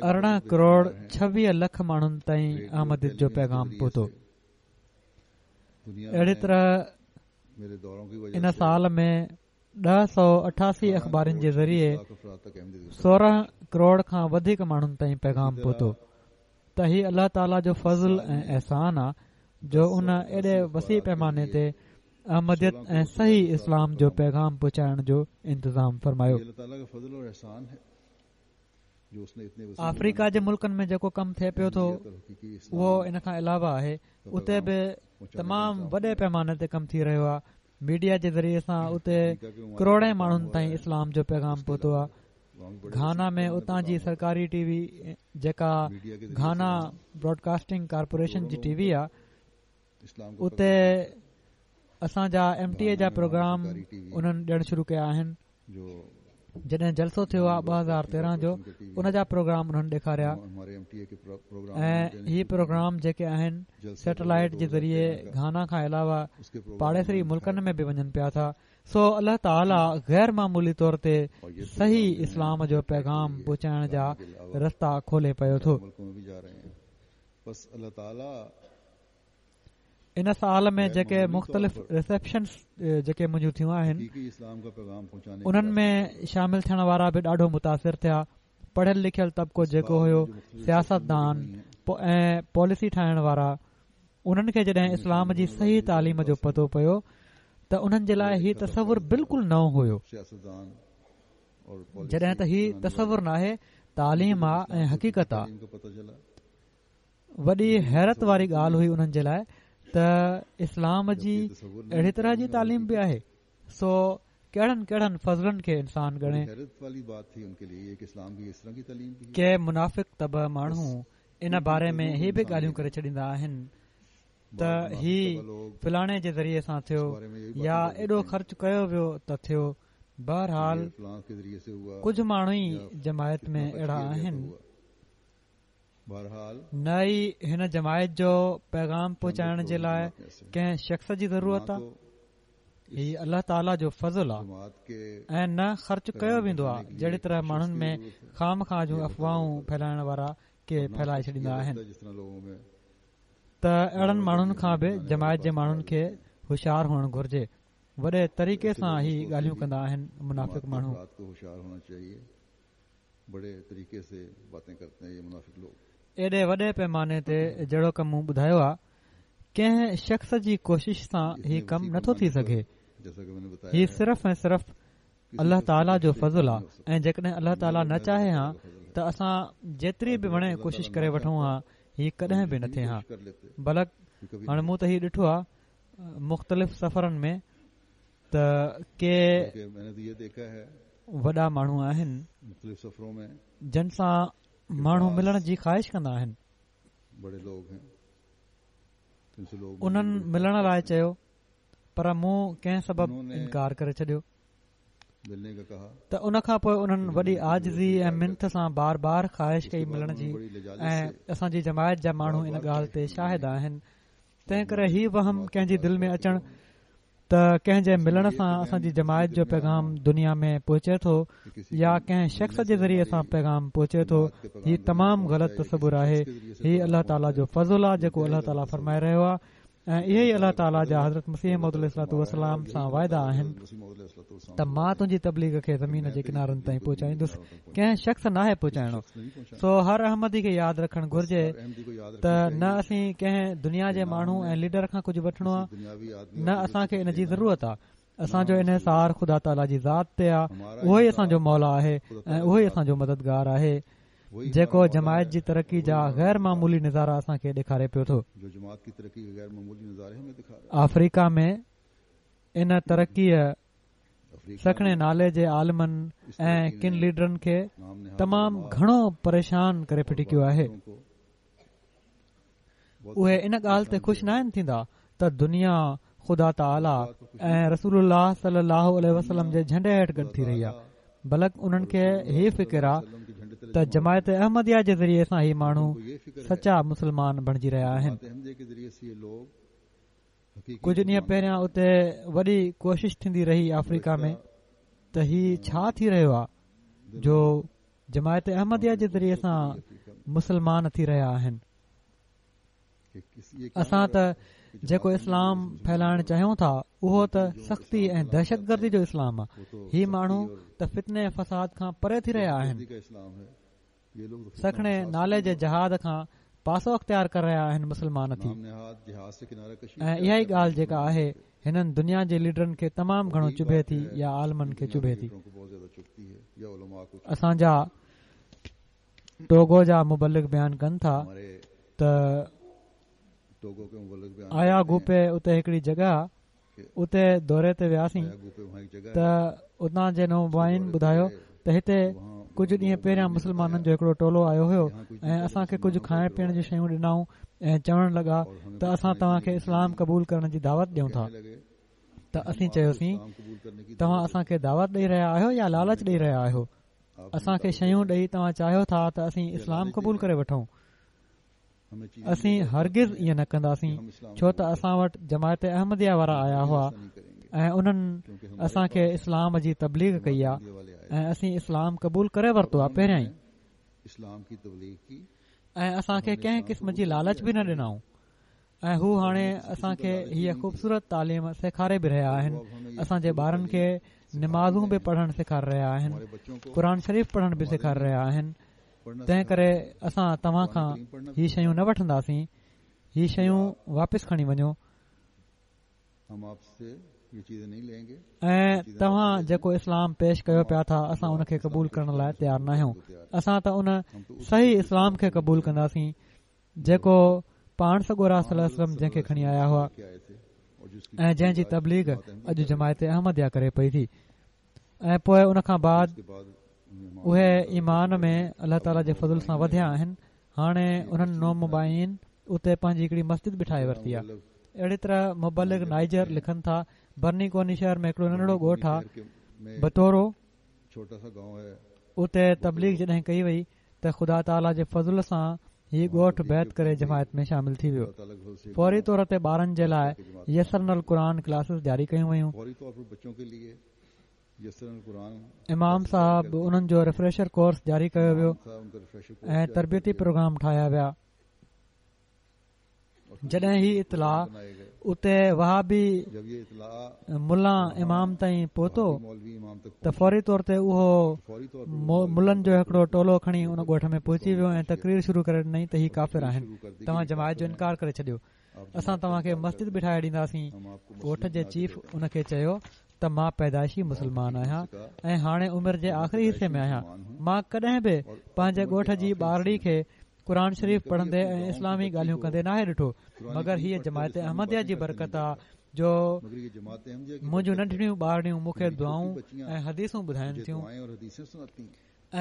ارڙهن ڪروڙ ڇويهه لک ماڻهن تائين احمديت جو پيغام پهتو. اهڙي طرح ان سال ۾ ڏهه سؤ اٺاسي اخبارن جي ذريعي سورهن ڪروڙ کان وڌيڪ ماڻهن تائين پيغام پهتو. ته هي الله تعاليٰ جو فضل ۽ احسان آهي جو ان ايڏي وسيع پيماني تي احمديت ۽ صحيح اسلام جو پيغام پهچائڻ جو انتظام فرمايو. آفريڪا جي ملڪن ۾ جيڪو ڪم ٿئي پيو ٿو اهو ان کان علاوه آهي. اتي به تمام وڏي پيماني تي ڪم ٿي رهيو آهي. ميڊيا جي ذريعي سان اتي ڪروڙين ماڻهن تائين اسلام جو پيغام پهتو آهي. گهانا ۾ اتان جي سرڪاري ٽي وي جيڪا گهانا براڊڪاسٽنگ ڪارپوريشن جي ٽي وي آهي، اتي اسان جا ايم ٽي اي جا پروگرام انهن ڏيڻ شروع ڪيا آهن. جڏهن جلسو ٿيو آهي ٻه هزار تيرهن جو، ان جا پروگرام انهن ڏيکاريا ۽ هي پروگرام جيڪي آهن سيٽلائيٽ جي ذريعي گهانا کان علاوه پاڙيسري ملڪن ۾ به وڃن پيا ٿا. سو الله تعاليٰ غير معمولي طور تي صحيح اسلام جو پيغام پهچائڻ جا رستا کولي پيو ٿو. ان سال ۾ جيڪي مختلف رسيپشنز جيڪي منهنجون ٿيون آهن انهن ۾ شامل ٿيڻ وارا به ڏاڍو متاثر ٿيا. پڙهيل لکيل طبقو جيڪو هيو، سياستدان ۽ پاليسي ٺاهڻ وارا، انهن کي جڏهن اسلام جي صحيح تعليم جو پتو پيو ته انهن جي لاءِ هي تصور بلڪل نئون هيو. جڏهن ته هي تصور ناهي، تعليم آ ۽ حقيقت آ. وڏي حيرت واري ڳالهه هئي انهن جي لاءِ ته اسلام جي اهڙي طرح جي تعليم به آهي. سو ڪهڙن ڪهڙن فضلن کي انسان ڳڻي. ڪي منافق طبع ماڻهو ان باري ۾ هي به ڳالهيون ڪري ڇڏيندا آهن ته هي فلاڻي جي ذريعي سان ٿيو يا ايڏو خرچ ڪيو ويو ته ٿيو. بهرحال ڪجهه ماڻهو ئي جماعت ۾ اهڙا آهن، نه ئي هن جماعت جو پيغام پهچائڻ جي لاءِ ڪنهن شخص جي ضرورت آهي، هي الله تعاليٰ جو فضل آهي، ۽ نه خرچ ڪيو ويندو آهي جهڙي طرح ماڻهن ۾ خامخواه جون افواهون ڦهلائڻ وارا ڪي ڦهلائي ڇڏيندا آهن. ته اهڙن ماڻهن کان به جماعت جي ماڻهن کي هوشيار هئڻ گهرجي. وڏي طريقي سان هي ڳالهيون ڪندا آهن منافق ماڻهو. ايڏي وڏي پيماني تي جهڙوڪ مون ٻڌايو آهي، ڪنهن شخص جي ڪوشش سان هي ڪم نٿو ٿي سگهي. هي صرف ۽ صرف الله تعاليٰ جو فضل آهي، ۽ جيڪڏهن الله تعاليٰ نه چاهي ها ته اسان جيتري به وڻي ڪوشش ڪري وٺون ها، هي ڪڏهن به نه ٿئي ها. بلڪ هاڻي مون ته هي ڏٺو آهي مختلف سفرن ۾ ته ڪي وڏا ماڻهو آهن جن سان ماڻهو ملڻ جي خواهش ڪندا آهن. انهن ملڻ لاءِ چيو پر مون ڪنهن سبب انڪار ڪري ڇڏيو. ته ان کان پوءِ انهن وڏي عاجزي ۽ منٿ سان بار بار خواهش ڪئي ملڻ جي، ۽ اسان جي جماعت جا ماڻهو ان ڳالهه تي شاهد آهن. تنهن ڪري هي وهم ڪنهن جي دل ۾ اچڻ ته ڪنهن جي ملڻ سان اسان جي جماعت جو پيغام دنيا ۾ پهچي ٿو يا ڪنهن شخص جي ذريعي سان پيغام پهچي ٿو، هي تمام غلط تصور آهي. هي الله تعاليٰ جو فضل آهي جيڪو الله تعاليٰ فرمائي رهيو آهي، ۽ اهي ئي الله تعاليٰ جا حضرت مسيح موعود عليه الصلوة والسلام سان واعدا آهن ته مان تنهنجي تبليغ کي زمين جي ڪنارن تائين پهچائيندس، ڪنهن شخص ناهي پهچائڻو. سو هر احمدي کي ياد رکڻ گهرجي ته نه اسين ڪنهن دنيا جي ماڻهو ۽ ليڊر کان ڪجهه وٺڻو آهي، نه اسان کي ان جي ضرورت آهي. اسان جو انحصار خدا تعاليٰ جي ذات تي آهي، اهو ئي اسان جو مولا آهي ۽ اهو ئي اسان جو مددگار آهي، جيڪو جماعت جي ترقي جا غير معمولي نظارا اسان کي ڏيکاري پيو ٿو. آفريڪا ۾ ان ترقيءَ سکڻي نالي جي عالمن ۽ ڪن ليڊرن کي تمام گهڻو پريشان ڪري ڦٽڪيو آهي. اهي ان ڳالهه تي خوش ناهن ٿيندا ته دنيا خدا تعاليٰ ۽ رسول الله صلي الله عليه وسلم جي جهنڊي هيٺ گڏ ٿي رهي آهي، بلڪ انهن کي هي فڪر آهي ته جماعت احمديه جي ذريعي سان هي ماڻهو سچا مسلمان بڻجي رهيا آهن. ڪجهه ڏينهن پهريان اتي وڏي ڪوشش ٿيندي رهي آفريڪا ۾ ته هي ڇا ٿي رهيو آهي جو جماعت احمديه جي ذريعي سان مسلمان ٿي رهيا آهن. اسان ته جيڪو اسلام ڦهلائڻ چاهيون ٿا اهو ته سختي ۽ دهشتگردي جو اسلام آهي. هي ماڻهو ته فتني ۽ فساد کان پري ٿي رهيا آهن، سکڻي نالي جي جهاد کان پاسو اختيار ڪري رهيا آهن مسلمان ٿي. ۽ اها ئي ڳالهه جيڪا آهي هنن دنيا جي ليڊرن کي تمام گهڻو چڀي ٿي يا عالمن کي چڀي ٿي. اسان جا ٽوگو جا مبلغ بيان ڪن ٿا ته آيا گوپي اتي هڪڙي جڳهه اتي دوري تي وياسين ته اتان جي نومبائعين ٻڌايو ته هتي ڪجهه ڏينهن پهريان مسلمانن جو هڪڙو ٽولو آيو هيو ۽ اسان کي ڪجهه کائڻ پيئڻ جون شيون ڏنائون ۽ چوڻ لڳا ته اسان توهان کي اسلام قبول ڪرڻ جي دعوت ڏيون ٿا. ته اسين چيوسين توهان اسان کي دعوت ڏيئي رهيا آهيو يا لالچ ڏيئي رهيا آهيو؟ اسان کي شيون ڏيئي توهان چاهيو ٿا ته اسين اسلام قبول ڪري وٺون. اسين هرگز ائين نه ڪنداسين، ڇو ته اسان وٽ جماعت احمديه وارا آيا هئا ۽ انهن اسان کي اسلام جي تبليغ ڪئي آهي ۽ اسين اسلام قبول ڪري ورتو آهي پهريان ئي، ۽ اسان کي ڪنهن قسم جي لالچ به نه ڏنائون، ۽ هو هاڻي اسان کي هيءَ خوبصورت تعليم سيکاري به رهيا آهن. اسان جي ٻارن کي نمازون به پڙهڻ سيکاري رهيا آهن، قرآن شريف پڙهڻ به سيکاري رهيا آهن. تنهن ڪري اسان توهان کان هي شيون نه وٺنداسين، هي شيون واپس کڻي وڃو ۽ توهان جيڪو اسلام پيش ڪيو پيا ٿا اسان ان کي قبول ڪرڻ لاءِ تيار نه آهيون. اسان ته ان صحيح اسلام کي قبول ڪنداسين جيڪو پاڻ سڳورا صلي الله عليه وسلم جنهن کي کڻي آيا هئا ۽ جنهن جي تبليغ اڄ جماعت احمديه ڪري پئي ٿي. ۽ پوءِ ان کان بعد اهي ايمان ۾ الله تعاليٰ جي فضل سان وڌيا آهن. هاڻي انهن نومبائعين اتي پنهنجي هڪڙي مسجد به ٺاهي ورتي آهي. اهڙي طرح مبلغ نائجر لکن ٿا، برني ڪوني شهر ۾ هڪڙو ننڍڙو ڳوٺ آهي بتورو، اتي تبليغ جڏهن ڪئي وئي ته خدا تعاليٰ جي فضل سان هي ڳوٺ بيعت ڪري جماعت ۾ شامل ٿي ويو. فوري طور تي ٻارن جي لاءِ يسرنا القرآن ڪلاسز جاري ڪيون ويون. امام صاحب انهن جو ريفريشر ڪورس جاري ڪيو ويو ۽ تربيتي پروگرام ٺاهيا ويا. جڏهن هي اطلاع اتي وهابي ملا امام تائين پهتو ته فوري طور تي اهو ملن جو هڪڙو ٽولو کڻي ان ڳوٺ ۾ پهچي ويو ۽ تقرير شروع ڪري ڏنائين ته هي ڪافر آهن، توهان جماعت جو انڪار ڪري ڇڏيو، اسان توهان کي مسجد به ٺاهي ڏينداسين. ڳوٺ جي چيف ان کي چيو ته مان پيدائشي مسلمان آهيان ۽ هاڻي عمر جي آخري حصي ۾ آهيان. مان ڪڏهن به پنهنجي ڳوٺ جي ٻارڙي کي قرآن شريف پڙهندي ۽ اسلامي ڳالهيون ڪندي ناهي ڏٺو، مگر هيءَ جماعت احمديه جي برڪت آ جو منهنجون ننڍڙيون ٻارڙيون مون کي دعائون ۽ حديثون ٻڌائين ٿيون.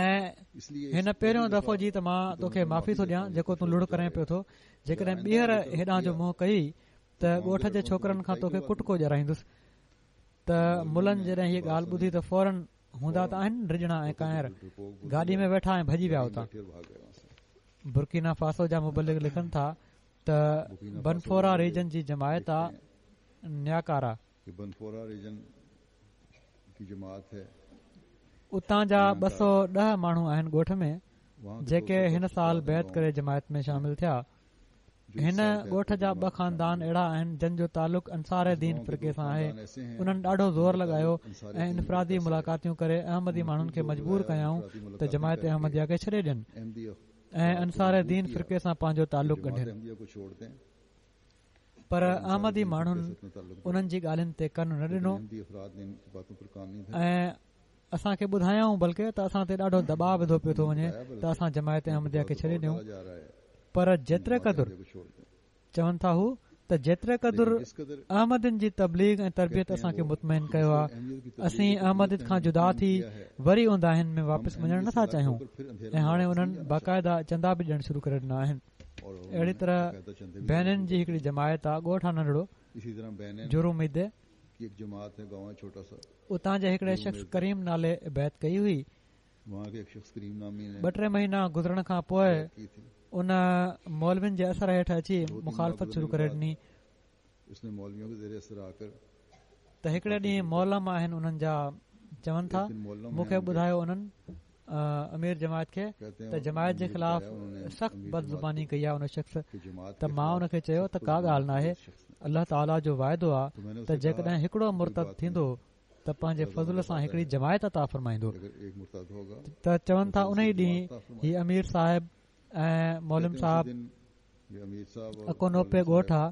۽ هن پهريون دفعو جي ته مان توکي معافي ٿو ڏيان جيڪو تون لڙ ڪرين پيو ٿو، جيڪڏهن ٻيهر هيڏانهن جو منهن ڪئي ته ڳوٺ جي ڇوڪرن کان توکي ڪٽڪو ڏيارائيندس. ته ملن جڏهن هيءَ ڳالهه ٻڌي ته فورن هوندا ته آهن ڊڄڻا ۽ ڪانئر، گاڏي ۾ ويٺا ۽ ڀڄي ويا اتان. برڪينا فاسو جا مبلغ لکن ٿا ته بنفورا ريجن جي جماعت آ نياڪارا، اتان جا ٻه سؤ ڏهه ماڻهو آهن ڳوٺ ۾ جيڪي هن سال بيعت ڪري جماعت ۾ شامل ٿيا. هن ڳوٺ جا ٻه خاندان اهڙا آهن جن جو تعلق انصار دين فرقي سان آهي. انهن ڏاڍو زور لڳايو ۽ انفرادي ملاقاتيون ڪري احمدي ماڻهن کي مجبور ڪيائون ته جماعت احمديه کي ڇڏي ڏين ۽ انصار دين فرقي سان پنهنجو تعلق ڳنڍين، پر احمدي ماڻهن انهن جي ڳالهين تي ڪن نه ڏنو ۽ اسان کي ٻڌايائون بلڪه ته اسان تي ڏاڍو دٻاءُ وڌو پيو ٿو وڃي ته اسان جماعت احمديه کي ڇڏي ڏيون. پر جيتري قدر چون ٿا هو ته جيتري قدر احمدين جي تبليغ ۽ تربيت اسان کي مطمئن ڪيو آهي، اسين احمديت کان جدا ٿي وري اونداهين ۾ واپس وڃڻ نٿا چاهيون. ۽ هاڻي انهن باقاعده چندا به ڏيڻ شروع ڪري ڏنا آهن. اهڙي طرح بينن جي هڪڙي جماعت آهي، ڳوٺ آهي ننڍڙو جروميدي، اتان جي هڪڙي شخص ڪريم نالي بيعت ڪئي هئي. ٻه ٽي مهينا گذرڻ کان پوءِ ان مولوين جي اثر هيٺ اچي مخالفت شروع ڪري ڏني. ته هڪڙي ڏينهن مولم آهن انهن جا، چون ٿا مون کي ٻڌايو انهن امير جماعت کي ته جماعت جي خلاف سخت بدزباني ڪئي آهي ان شخص. ته مان ان کي چيو ته ڪا ڳالهه ناهي، الله تعاليٰ جو واعدو آهي ته جيڪڏهن هڪڙو مرتد ٿيندو ته پنهنجي فضل سان هڪڙي جماعت عطا فرمائيندو. ته چون ٿا ان ئي ڏينهن هي امير صاحب ۽ مولم صاحب اڪونوپي ڳوٺ آهي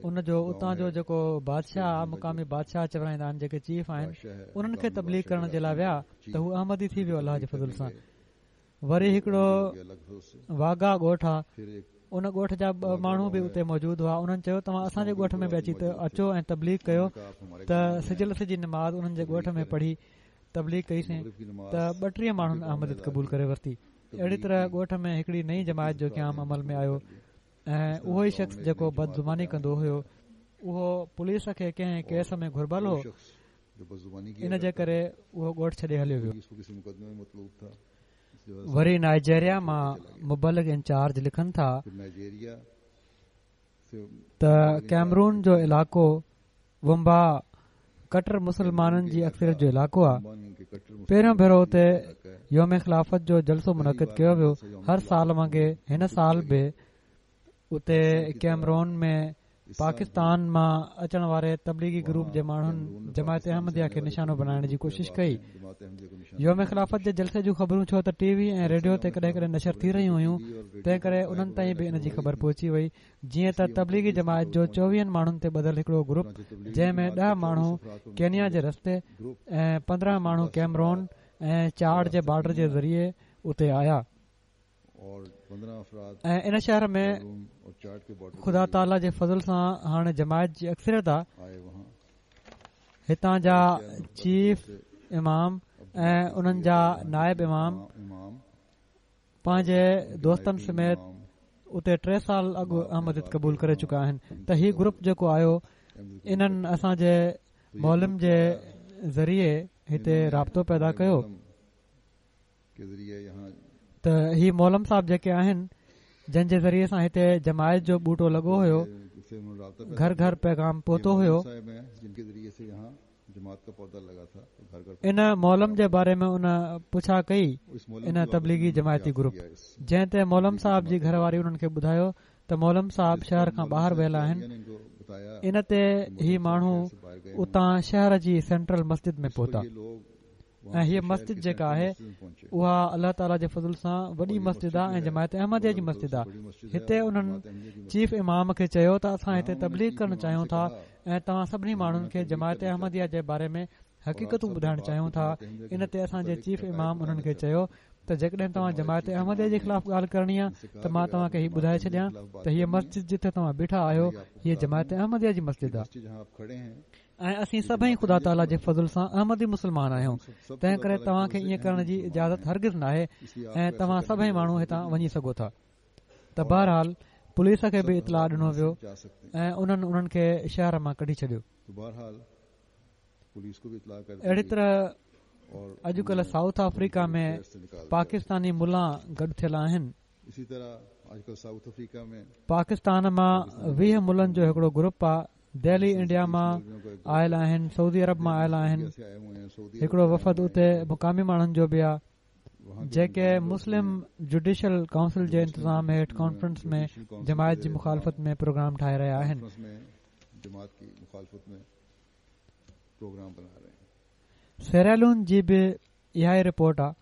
ان جو، اتان جو جيڪو بادشاهه مقامي بادشاهه چورائيندا آهن جيڪي چيف آهن، انهن کي تبليغ ڪرڻ جي لاءِ ويا ته هو احمدي ٿي ويو الله جي فضل سان. وري هڪڙو واگا ڳوٺ آهي، ان ڳوٺ جا ٻه ماڻهو به اتي موجود هئا. انهن چيو توهان اسان جي ڳوٺ ۾ به اچي اچو ۽ تبليغ ڪيو. ته سج لٿي جي نماز انهن جي ڳوٺ ۾ پڙهي تبليغ ڪئيسين ته ٻٽيهه ماڻهن احمديت قبول ڪري ورتي. اهڙي طرح ڳوٺ ۾ هڪڙي نئين جماعت جو قيام عمل ۾ آيو ۽ اهو ئي شخص جيڪو بدزباني ڪندو هيو اهو پوليس کي ڪنهن ڪيس ۾ گهربل هو، ان جي ڪري اهو ڳوٺ ڇڏي هليو ويو. وري نائجيريا مان مبلغ انچارج لکن ٿا ته ڪيمرون جو علائقو ومبا ڪٽر مسلمانن جي اڪثريت جو علائقو آهي. پهريون ڀيرو اتي يوم خلافت جو جلسو منعقد ڪيو ويو. هر سال وانگي هن سال به اتي ڪيمرون ۾ پاڪستان مان اچڻ واري تبليغي گروپ جي ماڻهن جماعت احمديه کي نشانو بڻائڻ جي ڪوشش ڪئي. يوم خلافت جي جلسي جون خبرون ڇو ته ٽي وي ۽ ريڊيو تي ڪڏهن ڪڏهن نشر ٿي رهيون هيون، تنهن ڪري انهن تائين به ان جي خبر پهچي وئي. جيئن ته تبليغي جماعت جو چوويهن ماڻهن تي ٻڌل هڪڙو گروپ، جنهن ۾ ڏهه ماڻهو ڪينيا جي رستي ۽ پندرهن ماڻهو ڪيمرون ۽ چاڊ جي بارڊر جي ذريعي اتي آيا ۽ ان شهر ۾ خدا تعاليٰ جي فضل سان هاڻي جماعت جي اڪثريت آهي. هتان جا چيف امام ۽ انهن جا نائب امام پنهنجي دوستن سميت اتي ٽي سال اڳ احمديت قبول ڪري چڪا آهن. ته هي گروپ جيڪو آيو انهن اسان جي معلم جي ذريعي هتي رابطو پيدا ڪيو. ته هي معلم صاحب جيڪي آهن جن جي ذريعي سان هتي جماعت جو ٻوٽو لڳو هيو، گهر گهر پيغام پهتو هيو، ان معلم جي باري ۾ ان پڇا ڪئي ان تبليغي جماعتي گروپ، جنهن تي معلم صاحب جي گهر واري انهن کي ٻڌايو ته معلم صاحب شهر کان ٻاهر ويل آهن. ان تي هي ماڻهو اتان شهر جي سينٽرل مسجد ۾ پهتا ۽ هيء مسجد جيڪا آهي اها الله تعاليٰ جي فضل سان وڏي مسجد آهي ۽ جماعت احمديه جي مسجد آهي. هتي انهن چيف امام کي چيو ته اسان هتي تبليغ ڪرڻ چاهيون ٿا ۽ توهان سڀني ماڻهن کي جماعت احمديه جي باري ۾ حقيقتون ٻڌائڻ چاهيون ٿا. ان تي اسان جي چيف امام انهن کي چيو ته جيڪڏهن توهان جماعت احمديه جي خلاف ڳالهه ڪرڻي آهي ته مان توهان کي هي ٻڌائي ڇڏيان ته هيء مسجد جتي توهان بيٺا آهيو هيء جماعت احمديه جي مسجد آهي ۽ اسين سڀئي خدا تعاليٰ جي فضل سان احمدي مسلمان آهيون، تنهن ڪري توهان کي ائين ڪرڻ جي اجازت هرگز ناهي ۽ توهان سڀئي ماڻهو هتان وڃي سگهو ٿا. ته بهرحال پوليس کي به اطلاع ڏنو ويو ۽ انهن انهن کي شهر مان ڪڍي ڇڏيو. اهڙي طرح اڄڪلهه سائوٿ آفريڪا ۾ پاڪستاني ملا گڏ ٿيل آهن. پاڪستان مان ويهه ملن جو هڪڙو گروپ آهي، دهلي انڊيا مان آيل آهن، سعودي عرب مان آيل آهن. هڪڙو وفد اتي مقامي ماڻهن جو به آهي جيڪي مسلم جوڊيشل ڪائونسل جي انتظام هيٺ ڪانفرنس ۾ جماعت جي مخالفت ۾ پروگرام ٺاهي رهيا آهن. سيراليون جي به اها ئي رپورٽ آهي.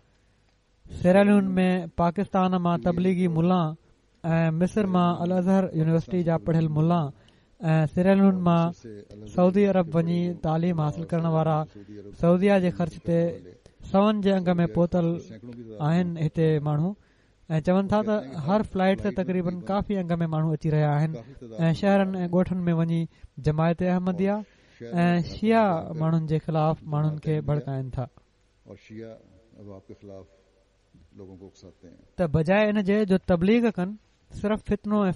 سيراليون ۾ پاڪستان مان تبليغي ملا ۽ مصر مان الازهر يونيورسٽي جا پڙهيل ملا ۽ سيراليون مان سعودي عرب وڃي تعليم حاصل ڪرڻ وارا سعوديه جي خرچ تي سون جي انگ ۾ پهتل آهن هتي ماڻهو ۽ چون ٿا ته هر فلائيٽ تي تقريبن ڪافي انگ ۾ ماڻهو اچي رهيا آهن ۽ شهرن ۽ ڳوٺن ۾ وڃي جماعت احمديه ۽ شيعه ماڻهن جي خلاف ماڻهن کي ڀڙڪائن ٿا ته بجاءِ ان جي جو تبليغ ڪن صرف فتنو ۽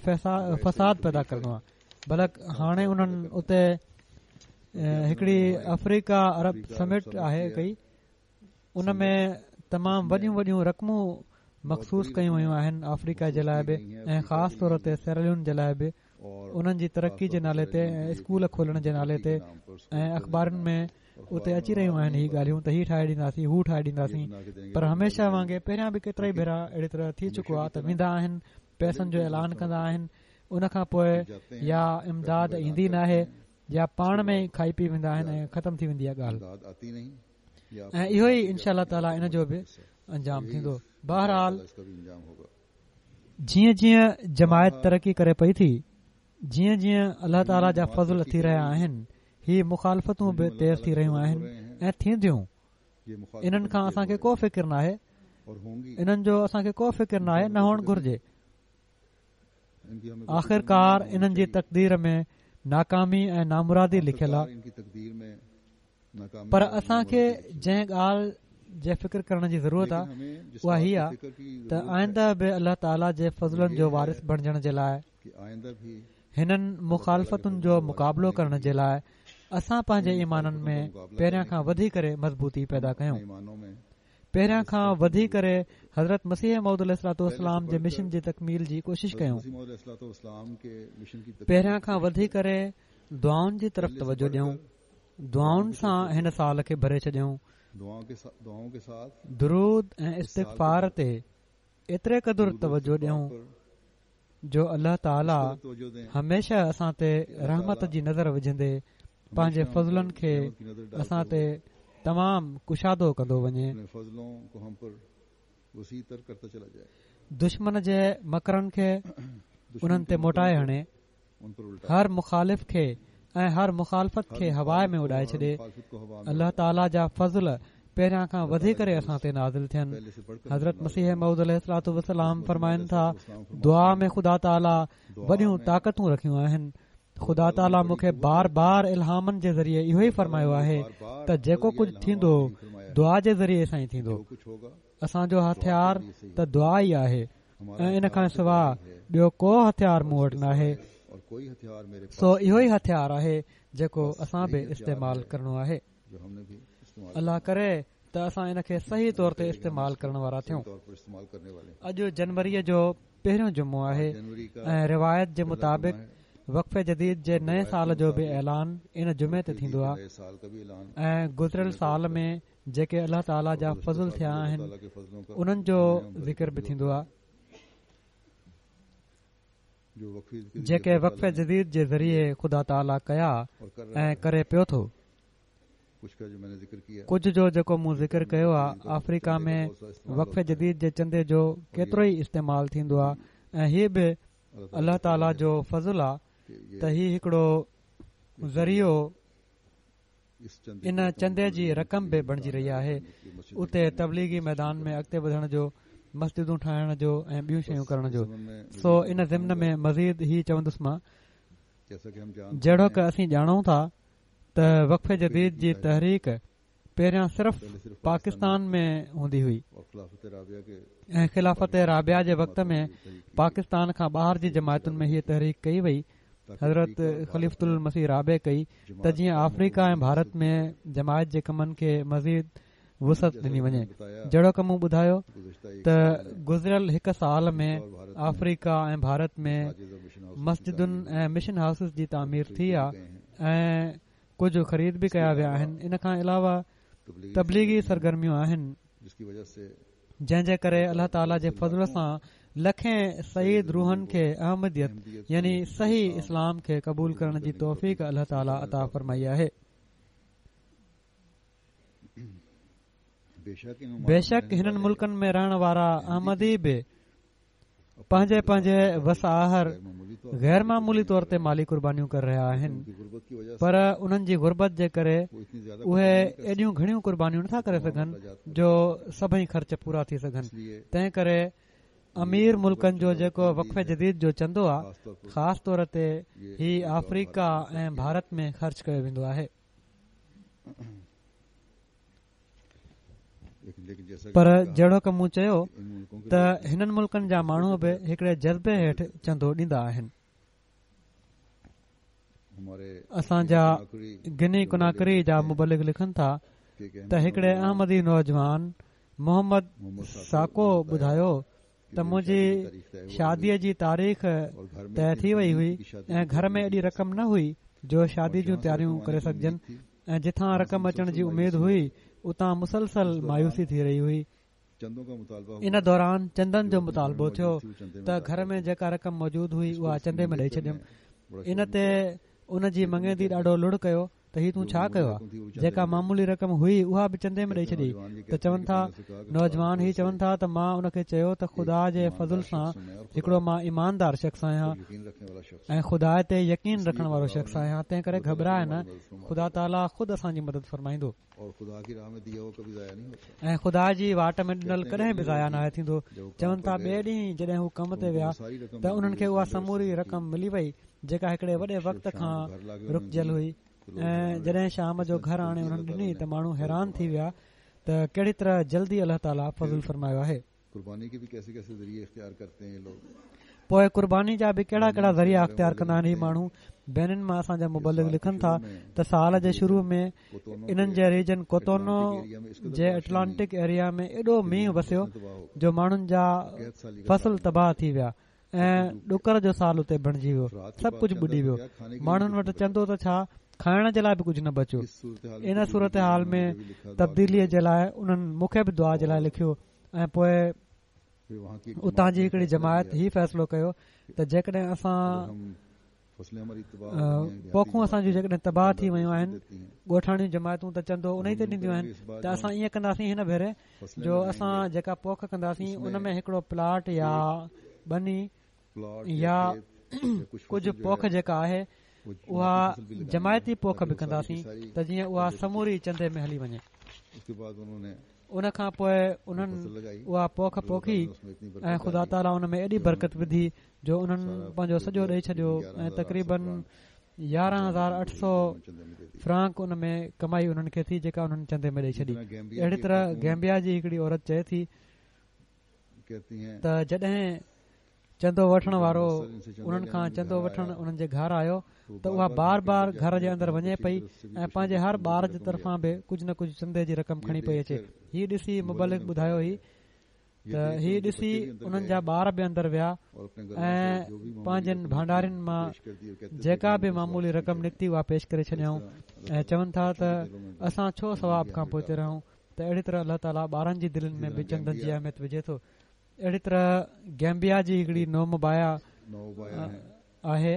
فساد پيدا ڪرڻو آهي. بلڪ هاڻي انهن اتي هڪڙي آفريڪا عرب سمٽ آهي ڪئي، ان ۾ تمام وڏيون وڏيون رقمون مخصوص ڪيون ويون آهن آفريڪا جي لاءِ به ۽ خاص طور تي سيراليون جي لاءِ به، انهن جي ترقي جي نالي تي ۽ اسڪول کولڻ جي نالي تي ۽ اخبارن ۾ اتي اچي رهيون آهن هي ڳالهيون ته هي ٺاهي ڏينداسين هو ٺاهي ڏينداسين. پر هميشه وانگي پهريان به ڪيترا ئي ڀيرا اهڙي طرح ٿي چڪو آهي ته ويندا آهن، پئسن جو اعلان ڪندا آهن، ان کان پوءِ يا امداد ايندي ناهي يا پاڻ ۾ ئي کائي پي ويندا آهن ۽ ختم ٿي ويندي آهي ڳالهه. ۽ اهو ئي انشاء الله تعاليٰ ان جو به انجام ٿيندو. بهرحال جيئن جيئن جماعت ترقي ڪري پئي ٿي، جيئن جيئن الله تعاليٰ جا فضل ٿي رهيا آهن، هي مخالفتون به تيز ٿي رهيون آهن ۽ ٿينديون. انهن کان اسان کي ڪو فڪر ناهي، انهن جو اسان کي ڪو فڪر ناهي، نه هئڻ گهرجي. آخرڪار انهن جي تقدير ۾ ناڪامي ۽ نامرادي لکيل آهي. پر اسان کي جنهن ڳالهه جي فڪر ڪرڻ جي ضرورت آهي اها هي آهي ته آئنده به الله تعاليٰ جي فضلن جو وارث بڻجڻ جي لاءِ، هنن مخالفتن جو مقابلو ڪرڻ جي لاءِ اسان پنهنجي ايمانن ۾ پهريان کان وڌي ڪري مضبوطي پيدا ڪيون. پهريان کان وڌي ڪري حضرت مسيح موعود عليه الصلوة والسلام جي مشن جي تڪميل جي ڪوشش ڪيون. پهريان کان وڌي ڪري دعائن جي طرف توجه ڏيون. دعائن سان هن سال کي ڀري ڇڏيون. درود ۽ استغفار تي ايتري قدر توجه ڏيون جو الله تعاليٰ هميشه اسان تي رحمت جي نظر وجهندي پنهنجي فضلن کي اسان تي تمام ڪشادو ڪندو وڃي. دشمن جي مڪرن کي انهن تي موٽائي هڻي، هر مخالف کي ۽ هر مخالفت کي هوا ۾ اڏائي ڇڏي. الله تعاليٰ جا فضل پهريان کان وڌي ڪري اسان تي نازل ٿين. حضرت مسيح موعود عليه الصلوة والسلام فرمائن ٿا، دعا ۾ خدا تعاليٰ وڏيون طاقتون رکيون آهن. خدا تعاليٰ مون کي بار بار الهامن جي ذريعي اهو ئي فرمايو آهي ته جيڪو ڪجهه ٿيندو دعا جي ذريعي سان ئي ٿيندو. اسان جو هٿيار ته دعا ئي آهي ۽ ان کان سواءِ ٻيو ڪو هٿيار مون وٽ ناهي. سو اهو ئي هٿيار آهي جيڪو اسان به استعمال ڪرڻو آهي. الله ڪري ته اسان ان کي صحيح طور تي استعمال ڪرڻ وارا ٿيون. اڄ جنوريءَ جو پهريون جمعو آهي ۽ روايت جي مطابق وقف جديد جي نئين سال جو به اعلان ان جمعي تي ٿيندو آهي ۽ گذريل سال ۾ جيڪي الله تعاليٰ جا فضل ٿيا آهن انهن جو ذڪر به ٿيندو آهي، جيڪي وقف جديد جي ذريعي خدا تعاليٰ ڪيا ۽ ڪري پيو ٿو. ڪجهه جو جيڪو مون ذڪر ڪيو آهي، آفريڪا ۾ وقف جديد جي چندي جو ڪيترو ئي استعمال ٿيندو آهي ۽ هي به الله تعاليٰ جو فضل آهي ته هي هڪڙو ذريعو ان چندي جي رقم به بڻجي رهي آهي اتي تبليغي ميدان ۾ اڳتي وڌڻ جو، مسجدون ٺاهڻ جو ۽ ٻيون شيون ڪرڻ جو. سو ان ضمن ۾ مزيد هي چوندس مان، جهڙوڪ اسين ڄاڻون ٿا ته وقف جديد جي تحريڪ پهريان صرف پاڪستان ۾ هوندي هئي ۽ خلافت رابعه جي وقت ۾ پاڪستان کان ٻاهر جي جماعتن ۾ هيءَ تحريڪ ڪئي وئي. حضرت خليفة المسيح رابع ڪئي ته جيئن آفريڪا ۽ ڀارت ۾ جماعت جي ڪمن کي مزيد وسعت ڏني وڃي. جهڙوڪ مون ٻڌايو ته گذريل هڪ سال ۾ آفريڪا ۽ ڀارت ۾ مسجدن ۽ مشن هائوسز جي تعمير ٿي آهي ۽ ڪجهه خريد به ڪيا ويا آهن. ان کان علاوه تبليغي سرگرميون آهن جنهن جي ڪري الله تعاليٰ جي فضل سان لکين سعيد روحن کي احمديت يعني صحيح اسلام کي قبول ڪرڻ جي توفيق الله تعاليٰ عطا فرمائي آهي. بيشڪ هنن ملڪن ۾ رهڻ وارا احمدي به پنهنجي پنهنجي وس آهر غير معمولي طور تي مالي قربانيون ڪري رهيا آهن، پر انهن جي غربت جي ڪري اهي ايڏيون گهڻيون قربانيون نٿا ڪري سگهن جو سڀئي خرچ پورا ٿي سگهن. تنهن ڪري امير ملڪن جو جيڪو وقف جديد جو چندو آهي، خاص طور تي هي آفريڪا ۽ ڀارت ۾ خرچ ڪيو ويندو آهي. پر جهڙوڪ مون چيو ته هنن ملڪن جا ماڻهو به هڪڙي جذبي هيٺ چندو ڏيندا آهن. اسان جا گني ڪناڪري جا مبلغ لکن ٿا ته هڪڙي احمدي نوجوان محمد ساڪو ٻڌايو ته منهنجي شاديءَ جي تاريخ طئي ٿي وئي هئي ۽ گهر ۾ ايڏي رقم نه هئي جو شادي جون تياريون ڪري سگهجن ۽ جتان رقم اچڻ جي اميد هئي اتان مسلسل مايوسي ٿي رهي هئي. ان دوران چندن جو مطالبو ٿيو ته گهر ۾ جيڪا رقم موجود هئي اها چندي ۾ ڏئي ڇڏيم. ان تي ان جي مڱيندي ڏاڍو لڙ ڪيو ته هي تون ڇا ڪيو آهي، جيڪا معمولي رقم هئي اها به چندي ۾ ڏئي ڇڏي. ته چون ٿا نوجوان هي چون ٿا ته مان ان کي چيو ته خدا جي فضل سان هڪڙو مان ايماندار شخص آهيان ۽ خدا تي يقين رکڻ وارو شخص آهيان، تنهن ڪري گهٻراءِ نه، خدا تعاليٰ خود اسان جي مدد فرمائيندو ۽ خدا جي واٽ ۾ ڏنل ڪڏهن به ضايع ناهي ٿيندو. چون ٿا ٻئي ڏينهن جڏهن هو ڪم تي ويا ته انهن کي اها سموري رقم ملي وئي جيڪا هڪڙي وڏي وقت کان رڪجيل هئي. ۽ جڏهن شام جو گهر آڻي انهن ڏني ته ماڻهو حيران ٿي ويا ته ڪهڙي طرح جلدي الله تعاليٰ فضل فرمايو آهي. پوءِ قرباني جا به ڪهڙا ڪهڙا ذريعا اختيار ڪندا آهن هي ماڻهو. بينن مان اسان جا مبلغ لکن ٿا ته سال جي شروع ۾ انهن جي ريجن ڪوتونو جي ايٽلانٽڪ ايريا ۾ ايڏو مينهن وسيو جو ماڻهن جا فصل تباهه ٿي ويا ۽ ڏڪر جو سال اتي بڻجي ويو، سڀ ڪجهه ٻڏي ويو. ماڻهن وٽ چندو ته ڇا کائڻ جي لاءِ به ڪجهه نه بچيو. ان صورت حال ۾ تبديليءَ جي لاءِ انهن مون کي به دعا جي لاءِ لکيو ۽ پوءِ اتان جي هڪڙي جماعت هي فيصلو ڪيو ته جيڪڏهن اسان پوکون اسان جون جيڪڏهن تباهه ٿي ويون آهن، ڳوٺاڻيون جماعتون ته چندو ان ئي تي ڏينديون آهن، ته اسان ائين ڪنداسين هن ڀيري جو اسان جيڪا پوک ڪنداسين ان ۾ هڪڙو پلاٽ يا ٻني يا ڪجهه پوک جيڪا آهي اها جماعتي پوک به ڪنداسين ته جيئن اها سموري چندي ۾ هلي وڃي. ان کان پوءِ انهن اها پوک پوکي ۽ خدا تعاليٰ ان ۾ ايڏي برڪت وڌي جو انهن پنهنجو سڄو ڏيئي ڇڏيو ۽ تقريبن يارهن هزار اٺ سؤ فرانڪ ان ۾ ڪمائي انهن کي ٿي جيڪا انهن چندي ۾ ڏيئي ڇڏي. اهڙي طرح گيمبيا جي هڪڙي عورت چئي ٿي ته جڏهن چندو وٺڻ وارو انهن کان چندو وٺڻ انهن جي گهر آيو ته اها بار بار گهر جي اندر وڃي پئي ۽ پنهنجي هر ٻار جي طرفان به ڪجهه نه ڪجهه چندي جي رقم کڻي پئي اچي. هي ڏسي مبلغ ٻڌايو هي ته هي ڏسي انهن جا ٻار به اندر ويا ۽ پنهنجن ڀانڊارين مان جيڪا به معمولي رقم نڪتي اها پيش ڪري ڇڏيائون ۽ چون ٿا ته اسان ڇو ثواب کان پوئتي رهون. ته اهڙي طرح الله تعاليٰ ٻارن جي دلين ۾ به چندن جي اهميت وجهي ٿو. اهڙي طرح گيمبيا جي هڪڙي نومبايا آهي،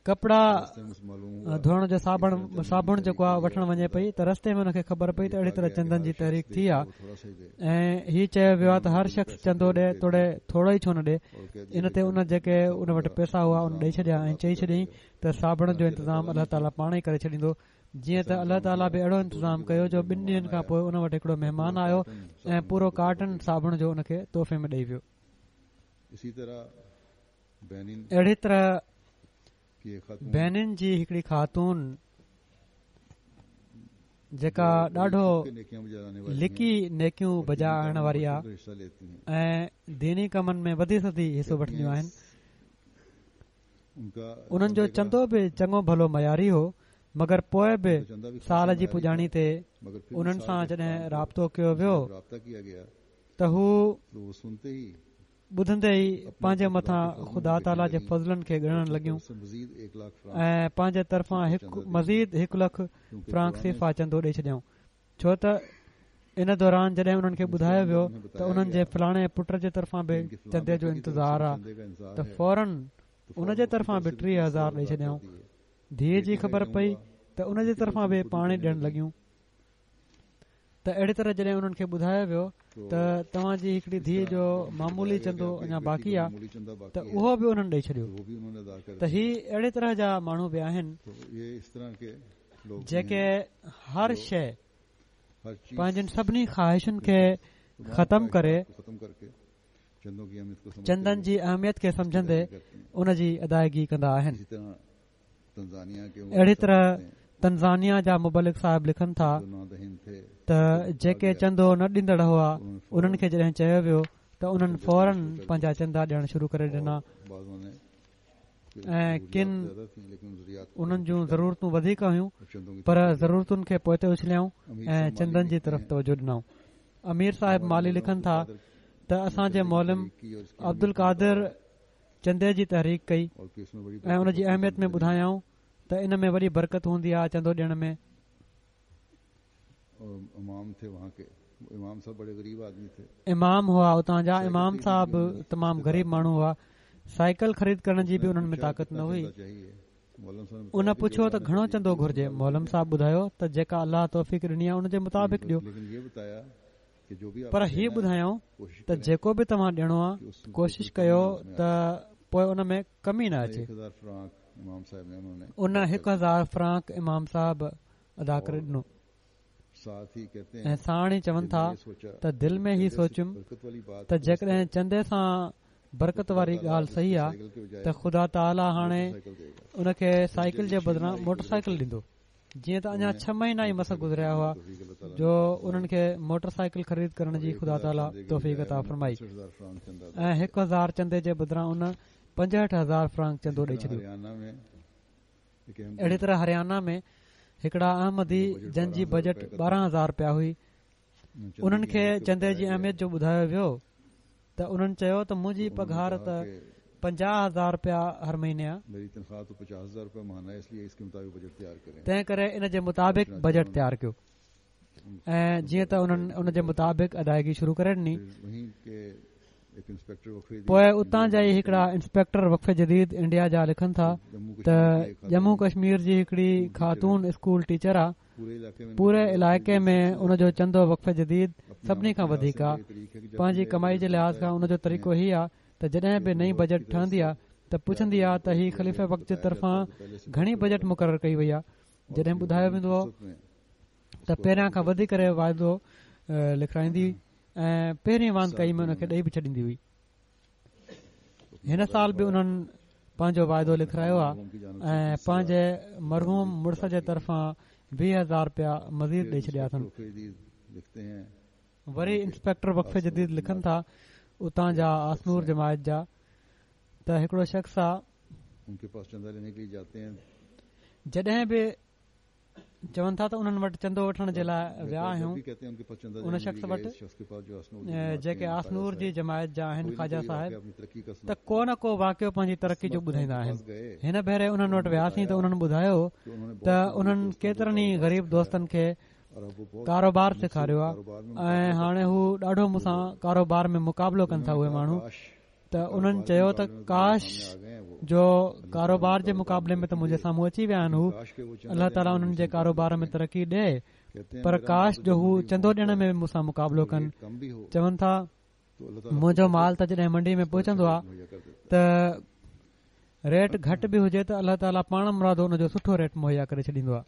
ڪپڙا ڌوئڻ جو صابڻ صابڻ جيڪو آهي وٺڻ وڃي پئي ته رستي ۾ هن کي خبر پئي ته اهڙي طرح چندن جي تحريڪ ٿي آهي ۽ هي چيو ويو آهي ته هر شخص چندو ڏي توڙي ٿورو ئي ڇو نه ڏي. ان تي ان جيڪي ان وٽ پئسا هئا ان ڏيئي ڇڏيا ۽ چئي ڇڏيائين ته صابڻ جو انتظام الله تعاليٰ پاڻ ئي ڪري ڇڏيندو. جيئن ته الله تعاليٰ به اهڙو انتظام ڪيو جو ٻن ڏينهن کان پوءِ ان وٽ هڪڙو مهمان آيو ۽ پورو ڪارٽن صابڻ جو ان کي تحفي ۾ ڏيئي ويو. اهڙي طرح بينن جي هڪڙي خاتون جيڪا ڏاڍو لڪي نيڪيون بجا آڻڻ واري آهي ۽ ديني ڪمن ۾ وڌي سڌي حصو وٺنديون آهن، انهن جو چندو به چڱو ڀلو معياري هو، مگر پوءِ به سال جي پڄاڻي تي انهن سان جڏهن رابطو ڪيو ويو ته هو ٻڌندي ئي پنهنجي مٿان خدا تعاليٰ جي فضلن کي ڳڻڻ لڳيون ۽ پنهنجي طرفان هڪ مزيد هڪ لک فرانڪ سيفا چندو ڏيئي ڇڏيائون. ڇو ته ان دوران جڏهن انهن کي ٻڌايو ويو ته انهن جي فلاڻي پٽ جي طرفان به چندي جو انتظار آهي ته فورن ان جي طرفان به ٽيهه هزار ڏيئي ڇڏيائون. ڌيءَ جي خبر پئي ته ان جي طرفان به پاڻي ڏيڻ لڳيون. ته اهڙي طرح جڏهن انهن کي ٻڌايو ويو ته توهان جي هڪڙي ڌيءَ جو معمولي چندو اڃا باقي آهي ته اهو به انهن ڏيئي ڇڏيو. ته هي اهڙي طرح جا ماڻهو به آهن جيڪي هر شيءِ پنهنجن سڀني خواهشن کي ختم ڪري چندن جي اهميت کي سمجهندي ان جي ادائگي ڪندا آهن. اهڙي طرح تنزانيا جا مبلغ صاحب لکن ٿا ته جيڪي چندو نه ڏيندڙ هئا انهن کي جڏهن چيو ويو ته انهن فورن پنهنجا چندا ڏيڻ شروع ڪري ڏنا ۽ ڪن انهن جون ضرورتون وڌيڪ هيون پر ضرورتن کي پوئتي اڇليائون ۽ چندن جي طرف توجه ڏنائون. امير صاحب مالي لکن ٿا ته اسان جي معلم عبد القادر چندي جي تحريڪ ڪئي ۽ ان جي اهميت ۾ ٻڌايائون ته ان ۾ وڏي برڪت هوندي آهي چندو ڏيڻ ۾. امام هئا اتان جا، امام صاحب تمام غريب ماڻهو هئا، سائيڪل خريد ڪرڻ جي به انهن ۾ طاقت نه هئي. ان پڇيو ته گهڻو چندو گهرجي؟ معلم صاحب ٻڌايو ته جيڪا الله توفيق ڏني آهي ان جي مطابق ڏيو، پر هي ٻڌايائون ته جيڪو به توهان ڏيڻو آهي ڪوشش ڪيو ته پوءِ ان ۾ ڪمي نه اچي. ان هڪ هزار فرانڪ امام صاحب ادا ڪري ڏنو ۽ ساڻ ئي چون ٿا ته دل ۾ هي سوچيم ته جيڪڏهن چندي سان برڪت واري ڳالهه صحيح آهي ته خدا تعاليٰ هاڻي ان کي سائيڪل جي بدران موٽر سائيڪل ڏيندو. جيئن ته اڃا ڇهه مهينا ئي مس گذريا هئا جو انهن کي موٽر سائيڪل خريد ڪرڻ جي خدا تعاليٰ توفيق عطا فرمائي ۽ هڪ هزار چندي جي بدران ان پنجهٺ هزار فرانڪ چندو ڏئي ڇڏيو. اهڙي طرح هريانا ۾ هڪڙا احمدي جن جي بجيٽ ٻارهن هزار رپيا هئي، انهن کي چندي جي اهميت جو ٻڌايو ويو ته انهن چيو ته منهنجي پگهار ته پنجاهه هزار رپيا هر مهيني آهي، تنهن ڪري ان جي مطابق بجيٽ تيار ڪيو. ۽ جيئن ته انهن ان جي مطابق ادائگي شروع ڪري ڏني. پوءِ اتان جا ئي هڪڙا انسپيڪٽر وقف جديد انڊيا جا لکن ٿا ته ڄمون ڪشمير جي هڪڙي خاتون اسڪول ٽيچر آهي، پوري علائقي ۾ ان جو چندو وقف جديد سڀني کان وڌيڪ آهي. پنهنجي ڪمائي جي لحاظ کان ان جو طريقو هي آهي ته جڏهن به نئين بجيٽ ٺهندي آهي ته پڇندي آهي ته هي خليفه وقت جي طرفان گهڻي بجيٽ مقرر ڪئي وئي آهي. جڏهن ٻڌايو ويندو هو ته پهريان کان وڌي ڪري واعدو لکرائيندي ۽ پهرين واندڪائي ۾ ان کي ڏئي به ڇڏيندي هئي. هن سال به انهن پنهنجو واعدو لکرايو آهي ۽ پنهنجي مرحوم مڙس جي طرفان ويهه هزار رپيا مزيد ڏئي ڇڏيا اٿن. وري انسپيڪٽر وقف جديد لکن ٿا اتان جا آسنور جماعت جا ته هڪڙو شخص آ، جڏهن به چون ٿا ته انهن وٽ چندو وٺڻ جي لاءِ ويا آهيون ان شخص وٽ جيڪي آسنور جي جماعت جا آهن خواجا صاحب، ته ڪو نه ڪو واقعو پنهنجي ترقي جو ٻڌائيندا آهن. هن ڀيري انهن وٽ وياسين ته انهن ٻڌايو ته انهن ڪيترن ئي غريب دوستن کي ڪاروبار سيکاريو آهي ۽ هاڻي هو ڏاڍو مون سان ڪاروبار ۾ مقابلو ڪن ٿا اهي ماڻهو. ته انهن چيو ته ڪاش جو ڪاروبار جي مقابلي ۾ ته منهنجي سامهون اچي ويا آهن هو، الله تعاليٰ انهن جي ڪاروبار ۾ ترقي ڏئي، پر ڪاش جو هو چندو ڏيڻ ۾ مون سان مقابلو ڪن. چون ٿا منهنجو مال ته جڏهن منڊي ۾ پهچندو آهي ته ريٽ گهٽ به هجي ته الله تعاليٰ پاڻ مرادو ان جو سٺو ريٽ مهيا ڪري ڇڏيندو آهي.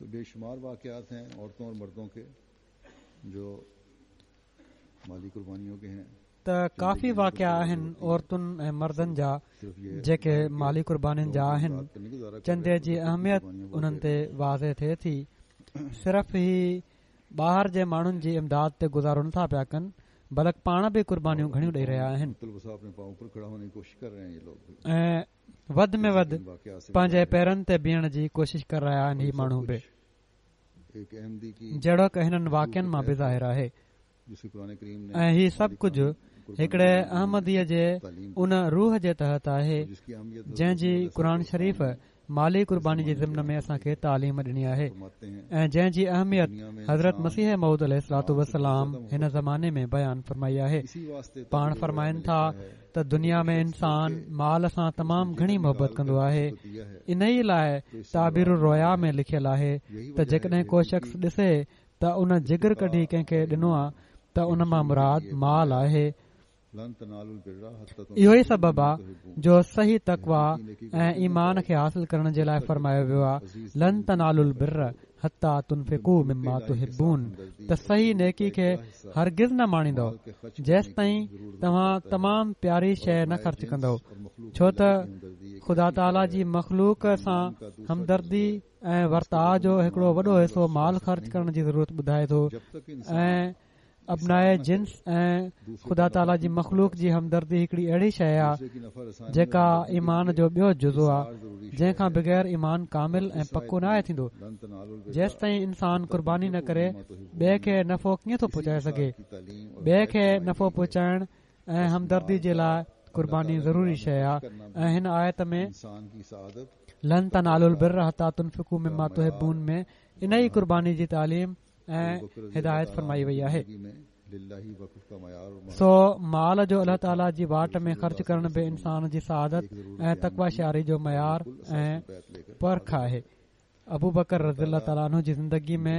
ته ڪافي واقعا آهن عورتن ۽ مردن جا جيڪي مالي قربانين جا آهن. چندي جي اهميت انهن تي واضح ٿئي ٿي. صرف هي ٻاهر جي ماڻهن جي امداد تي گذارو نٿا پيا ڪن، بلڪ پاڻ به قربانيون گهڻيون ڏيئي رهيا آهن ۽ وڌ ۾ وڌ پنهنجي پيرن تي بيهڻ جي ڪوشش ڪري رهيا آهن هي ماڻهو به، جهڙوڪ هنن واقعن مان به ظاهر آهي. ۽ هي سڀ ڪجهه هڪڙي احمديءَ جي ان روح جي تحت آهي جنهن جي قرآن شريف مالي قرباني جي ضمن ۾ اسان کي تعليم ڏني آهي ۽ جنهن جي اهميت حضرت مسيح موعود عليه الصلوة والسلام هن زماني ۾ بيان فرمائي آهي. پاڻ فرمائن ٿا ته دنيا ۾ انسان مال سان تمام گهڻي محبت ڪندو آهي. انهيءَ لاءِ تعبير الرؤيا ۾ لکيل آهي ته جيڪڏهن ڪو شخص ڏسي ته ان جگر ڪڍي ڪنهن کي ڏنو آهي ته ان مان مراد مال آهي. اهو ئي سبب آهي جو صحيح تقويٰ ۽ ايمان کي حاصل ڪرڻ جي لاءِ فرمايو ويو آهي لن تنالوا البر حتيٰ تنفقوا مما تحبون، ته صحيح نيڪي کي هرگز نه ماڻيندؤ جيستائين توهان تمام پياري شيءِ نه خرچ ڪندؤ، ڇو ته خدا تعاليٰ جي مخلوق سان همدردي ۽ ورتاءُ جو هڪڙو وڏو حصو مال خرچ ڪرڻ جي ضرورت ٻڌائي ٿو ۽ ابنائي جنس ۽ خدا تعاليٰ جي مخلوق جي همدردي هڪڙي اهڙي شيءِ آهي جيڪا ايمان جو ٻيو جزو آهي، جنهن کان بغير ايمان ڪامل ۽ پڪو نه آهي ٿيندو. جيستائين انسان قرباني نه ڪري ٻئي کي نفعو ڪيئن ٿو پهچائي سگهي؟ ٻئي کي نفعو پهچائڻ ۽ همدردي جي لاءِ قرباني ضروري شيءِ آهي. ۽ هن آيت ۾ لن تنالوا البر حتيٰ تنفقوا مما تحبون ۾ ان ئي قرباني جي تعليم ۽ هدايت فرمائي وئي آهي. سو مال جو الله تعاليٰ جي واٽ ۾ خرچ ڪرڻ به انسان جي سعادت ۽ تقويٰ شعاري جو معيار ۽ پرک آهي. ابوبڪر رضي الله تعاليٰ عنه جي زندگي ۾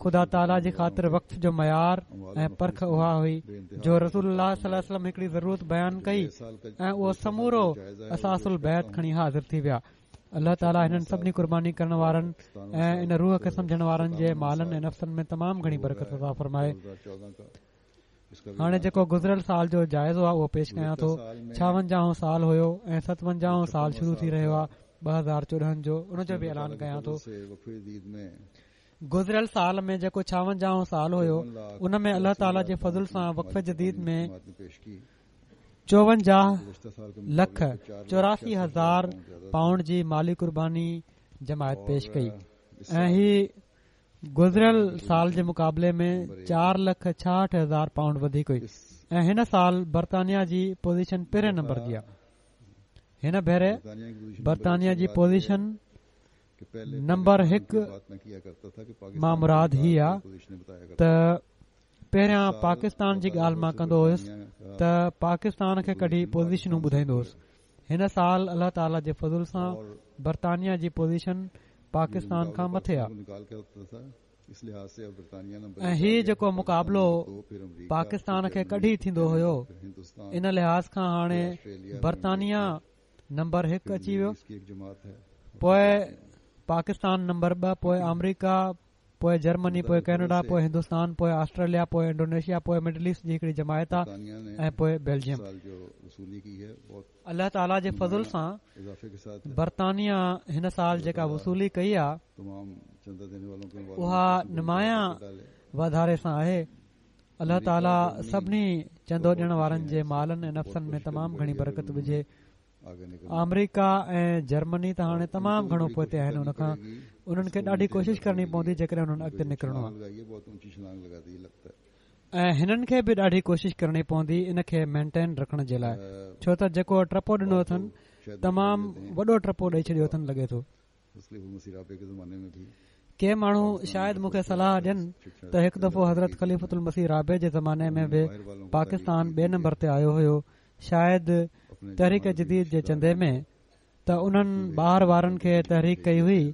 خدا تعاليٰ جي خاطر وقف جو معيار ۽ پرک اها هئي جو رسول الله صلي الله عليه وسلم هڪڙي ضرورت بيان ڪئي ۽ اهو سمورو اثاث البيت کڻي حاضر ٿي ويا. الله تعاليٰ هنن سڀني قرباني ڪرڻ وارن ۽ ان روح کي سمجهڻ وارن جي مالن ۽ نفسن ۾ تمام گهڻي برڪت عطا فرمائي. هاڻي جيڪو گذريل سال جو جائزو آهي اهو پيش ڪيان ٿو. ڇاونجاهون سال هيو ۽ ستونجاهون سال شروع ٿي رهيو آهي ٻه هزار چوڏهن جو، ان جو به اعلان ڪيان ٿو. گذريل سال ۾ جيڪو ڇاونجاهون سال هيو ان ۾ الله تعاليٰ جي فضل سان وقف جديد ۾ چوونجاهه لک چوراسي هزار پائونڊ جي مالي قرباني جماعت پيش ڪئي ۽ هي گذريل سال جي مقابلي ۾ چار لک ڇاهٺ هزار پائونڊ وڌيڪ هئي. ۽ هن سال برطانيا جي پوزيشن پهرين نمبر جي آهي. هن ڀيري برطانيا جي پوزيشن نمبر هڪ مان مراد هي آهي ته پهريان پاڪستان جي ڳالهه مان ڪندو هيس ته پاڪستان کي ڪڍي پوزيشنون ٻڌائيندو هيس. هن سال الله تعاليٰ جي فضل سان برطانيا جي پوزيشن پاڪستان کان مٿي آهي ۽ هي جيڪو مقابلو پاڪستان کي ڪڍي ٿيندو هيو ان لحاظ کان هاڻي برطانيا نمبر هڪ اچي ويو، پوءِ پاڪستان نمبر ٻه، پوءِ آمريڪا، پوءِ جرمني، پوءِ ڪينيڊا، پوءِ هندستان، پوءِ آسٽريليا، پوءِ انڊونيشيا، پوءِ مڊل ايسٽ جي هڪڙي جماعت آهي ۽ پوءِ بيلجيم. الله تعاليٰ جي فضل سان برطانيا هن سال جيڪا وصولي ڪئي آهي اها نمايان واڌاري سان آهي. الله تعاليٰ سڀني چندو ڏيڻ وارن جي مالن ۽ نفسن ۾ تمام گهڻي برڪت وجهي. آمريڪا ۽ جرمني ته هاڻي تمام گهڻو پوئتي آهن، ان کان انهن کي ڏاڍي ڪوشش ڪرڻي پوندي جيڪڏهن انهن اڳتي نڪرڻو آهي ۽ هنن کي به ڏاڍي ڪوشش ڪرڻي پوندي ان کي مينٽين رکڻ جي لاءِ، ڇو ته جيڪو ٽپو ڏنو اٿن تمام وڏو ٽپو ڏئي ڇڏيو اٿن لڳي ٿو. ڪي ماڻهو شايد مون کي صلاح ڏين ته هڪ دفعو حضرت خليفة المسيح رابع جي زماني ۾ به پاڪستان ٻئي نمبر تي آيو هيو، شايد تحريڪ جديد جي چندي ۾، ته انهن ٻاهر وارن کي تحريڪ ڪئي هئي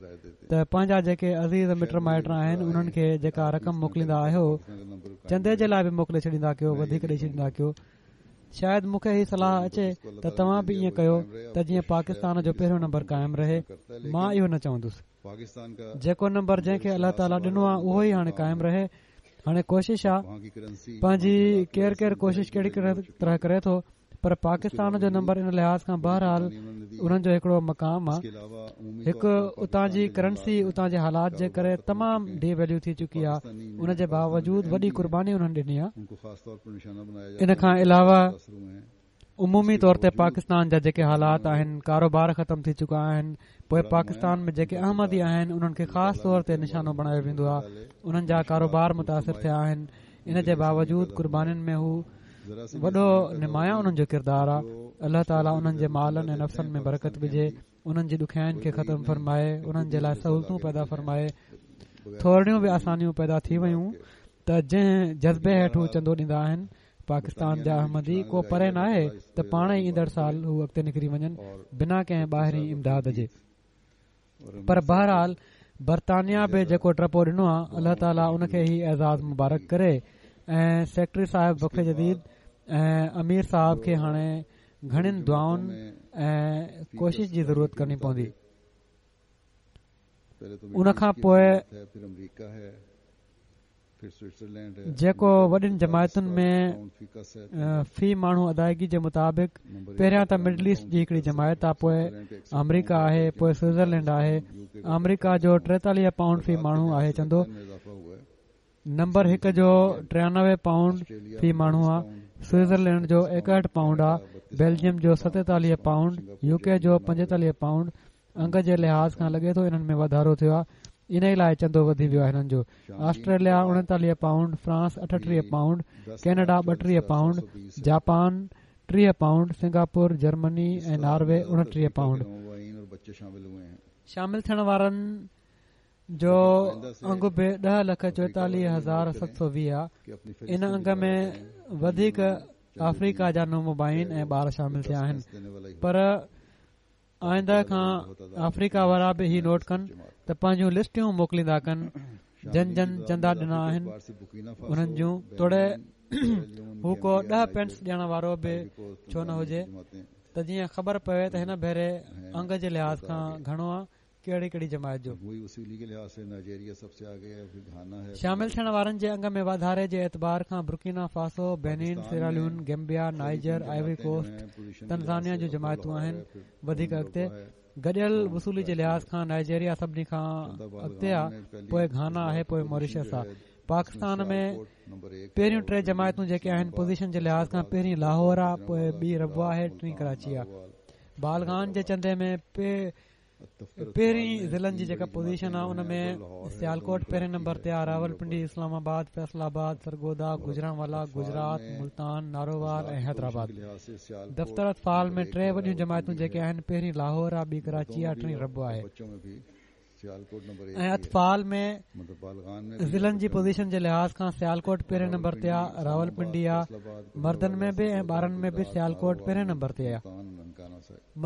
ته پنهنجا جيڪي عزيز مٽ مائٽ آهن انهن کي جيڪا رقم موڪليندا آهيو چندي جي لاءِ به موڪلي ڇڏيندا ڪيو، وڌيڪ ڏئي ڇڏيندا ڪيو. شايد مون کي هي صلاح اچي ته توهان به ائين ڪيو ته جيئن پاڪستان جو پهريون نمبر قائم رهي. مان اهو نه چوندس، جيڪو نمبر جنهن کي الله تعاليٰ ڏنو آهي اهو ئي هاڻي قائم رهي. هاڻي ڪوشش آهي پنهنجي، ڪير ڪير ڪوشش ڪهڙي ڪهڙي طرح ڪري ٿو، پر پاڪستان جو نمبر ان لحاظ کان بهرحال انهن جو هڪڙو مقام آهي. هڪ اتان جي ڪرنسي اتان جي حالات جي ڪري تمام ڊي ويليو ٿي چڪي آهي، ان جي باوجود وڏي قرباني انهن ڏني آهي. ان کان علاوه عمومي طور تي پاڪستان جا جيڪي حالات آهن، ڪاروبار ختم ٿي چڪا آهن، پوءِ پاڪستان ۾ جيڪي احمدي آهن انهن کي خاص طور تي نشانو بڻايو ويندو آهي، انهن جا ڪاروبار متاثر ٿيا آهن. ان جي باوجود قربانين ۾ هو وڏو نمايان انهن جو ڪردار آهي. الله تعاليٰ انهن جي مالن ۽ نفسن ۾ برڪت وجهي، انهن جي ڏکيائين کي ختم فرمائي، انهن جي لاءِ سهولتون پيدا فرمائي. ٿورڙيون به آسانيون پيدا ٿي ويون ته جنهن جذبي هيٺ هو چندو ڏيندا آهن پاڪستان جا احمدي، ڪو پري نه آهي ته پاڻ ئي ايندڙ سال هو اڳتي نڪري وڃن بنا ڪنهن ٻاهرين امداد جي. پر بهرحال برطانيا به جيڪو ٽپو ڏنو آهي الله تعاليٰ ان کي هي اعزاز مبارڪ ڪري. ۽ سيڪريٽري صاحب وقف جديد ۽ امير صاحب کي هاڻي گهڻين دعائن ۽ ڪوشش جي ضرورت ڪرڻي پوندي. ان کان پوءِ جيڪو وڏين جماعتن ۾ في ماڻهو ادائگي جي مطابق پهريان ته مڊل ايسٽ جي هڪڙي جماعت آهي، پوءِ آمريڪا آهي، پوءِ سوئٽزرلينڊ آهي. آمريڪا جو ٽيتاليهه پائونڊ في ماڻهو آهي چندو، نمبر هڪ جو ٽيانوي پائونڊ في ماڻهو آهي، سوئٽزرلينڊ جو ايڪهٺ پائونڊ آهي، بيلجيم جو ستيتاليهه پائونڊ، يو ڪي جو پنجيتاليهه پائونڊ. انگ جي لحاظ کان لڳي ٿو انهن ۾ واڌارو ٿيو آهي، ان لاءِ چندو وڌي ويو آهي هنن جو. آسٽريليا اڻيتاليهه پائونڊ، فرانس اٺٽيهه پائونڊ، ڪينيڊا ٻٽيهه پائونڊ، جاپان ٽيهه پائونڊ، سنگاپور، جرمني ۽ ناروي اڻٽيهه پائونڊ. شامل ٿيڻ وارن جو انگ به ڏهه لک چوئيتاليهه هزار ست سؤ ويهه آهي. ان انگ ۾ وڌيڪ آفريڪا جا نومبائعين ۽ ٻار شامل ٿيا آهن، پر آئنده کان آفريڪا وارا به هي نوٽ ڪن ته پنهنجون لسٽيون موڪليندا ڪن جن جن چندا ڏنا آهن انهن جون، توڙي هو ڪو ڏهه پينس ڏيڻ وارو به ڇو نه هجي، ته جيئن خبر پوي ته هن ڀيري انگ جي لحاظ کان گهڻو آهي ڪهڙي ڪهڙي جماعت جو. شامل ٿيڻ وارن جي انگ ۾ واڌاري جي اعتبار کان Burkina Faso, Benin, Sierra Leone, Gambia, Niger, Ivory Coast, Tanzania جون جماعتون آهن. وڌيڪ اڳتي گڏيل وصولي جي لحاظ کان نائجيريا سڀني کان اڳتي آهي، پوءِ گهانا آهي، پوءِ ماريشس آهي. پاڪستان ۾ پهريون ٽي جماعتون جيڪي آهن پوزيشن جي لحاظ کان پهرين لاهور آهي، پوءِ ٻي ربوه آهي، ٽين ڪراچي آهي. بالغان جي چندي ۾ پهرين ضلعن جي جيڪا پوزيشن آهي ان ۾ سيالڪوٽ پهرين نمبر تي آهي، راولپنڊي، اسلام آباد، فيصل آباد، سرگوڌا، گجرانوالا، گجرات، ملتان، نارووال ۽ حيدرآباد. دفتر اطفال ۾ ٽي وڏيون جماعتون جيڪي آهن پهرين لاهور آهي، ٻي ڪراچي آهي، ٽين ربوه آهي. ۽ اطفال ۾ ضلعن جي پوزيشن جي لحاظ کان سيالڪوٽ پهرين نمبر تي آهي، راولپنڊي آهي. مردن ۾ به ۽ ٻارن ۾ به سيالڪوٽ پهرين نمبر تي آهي،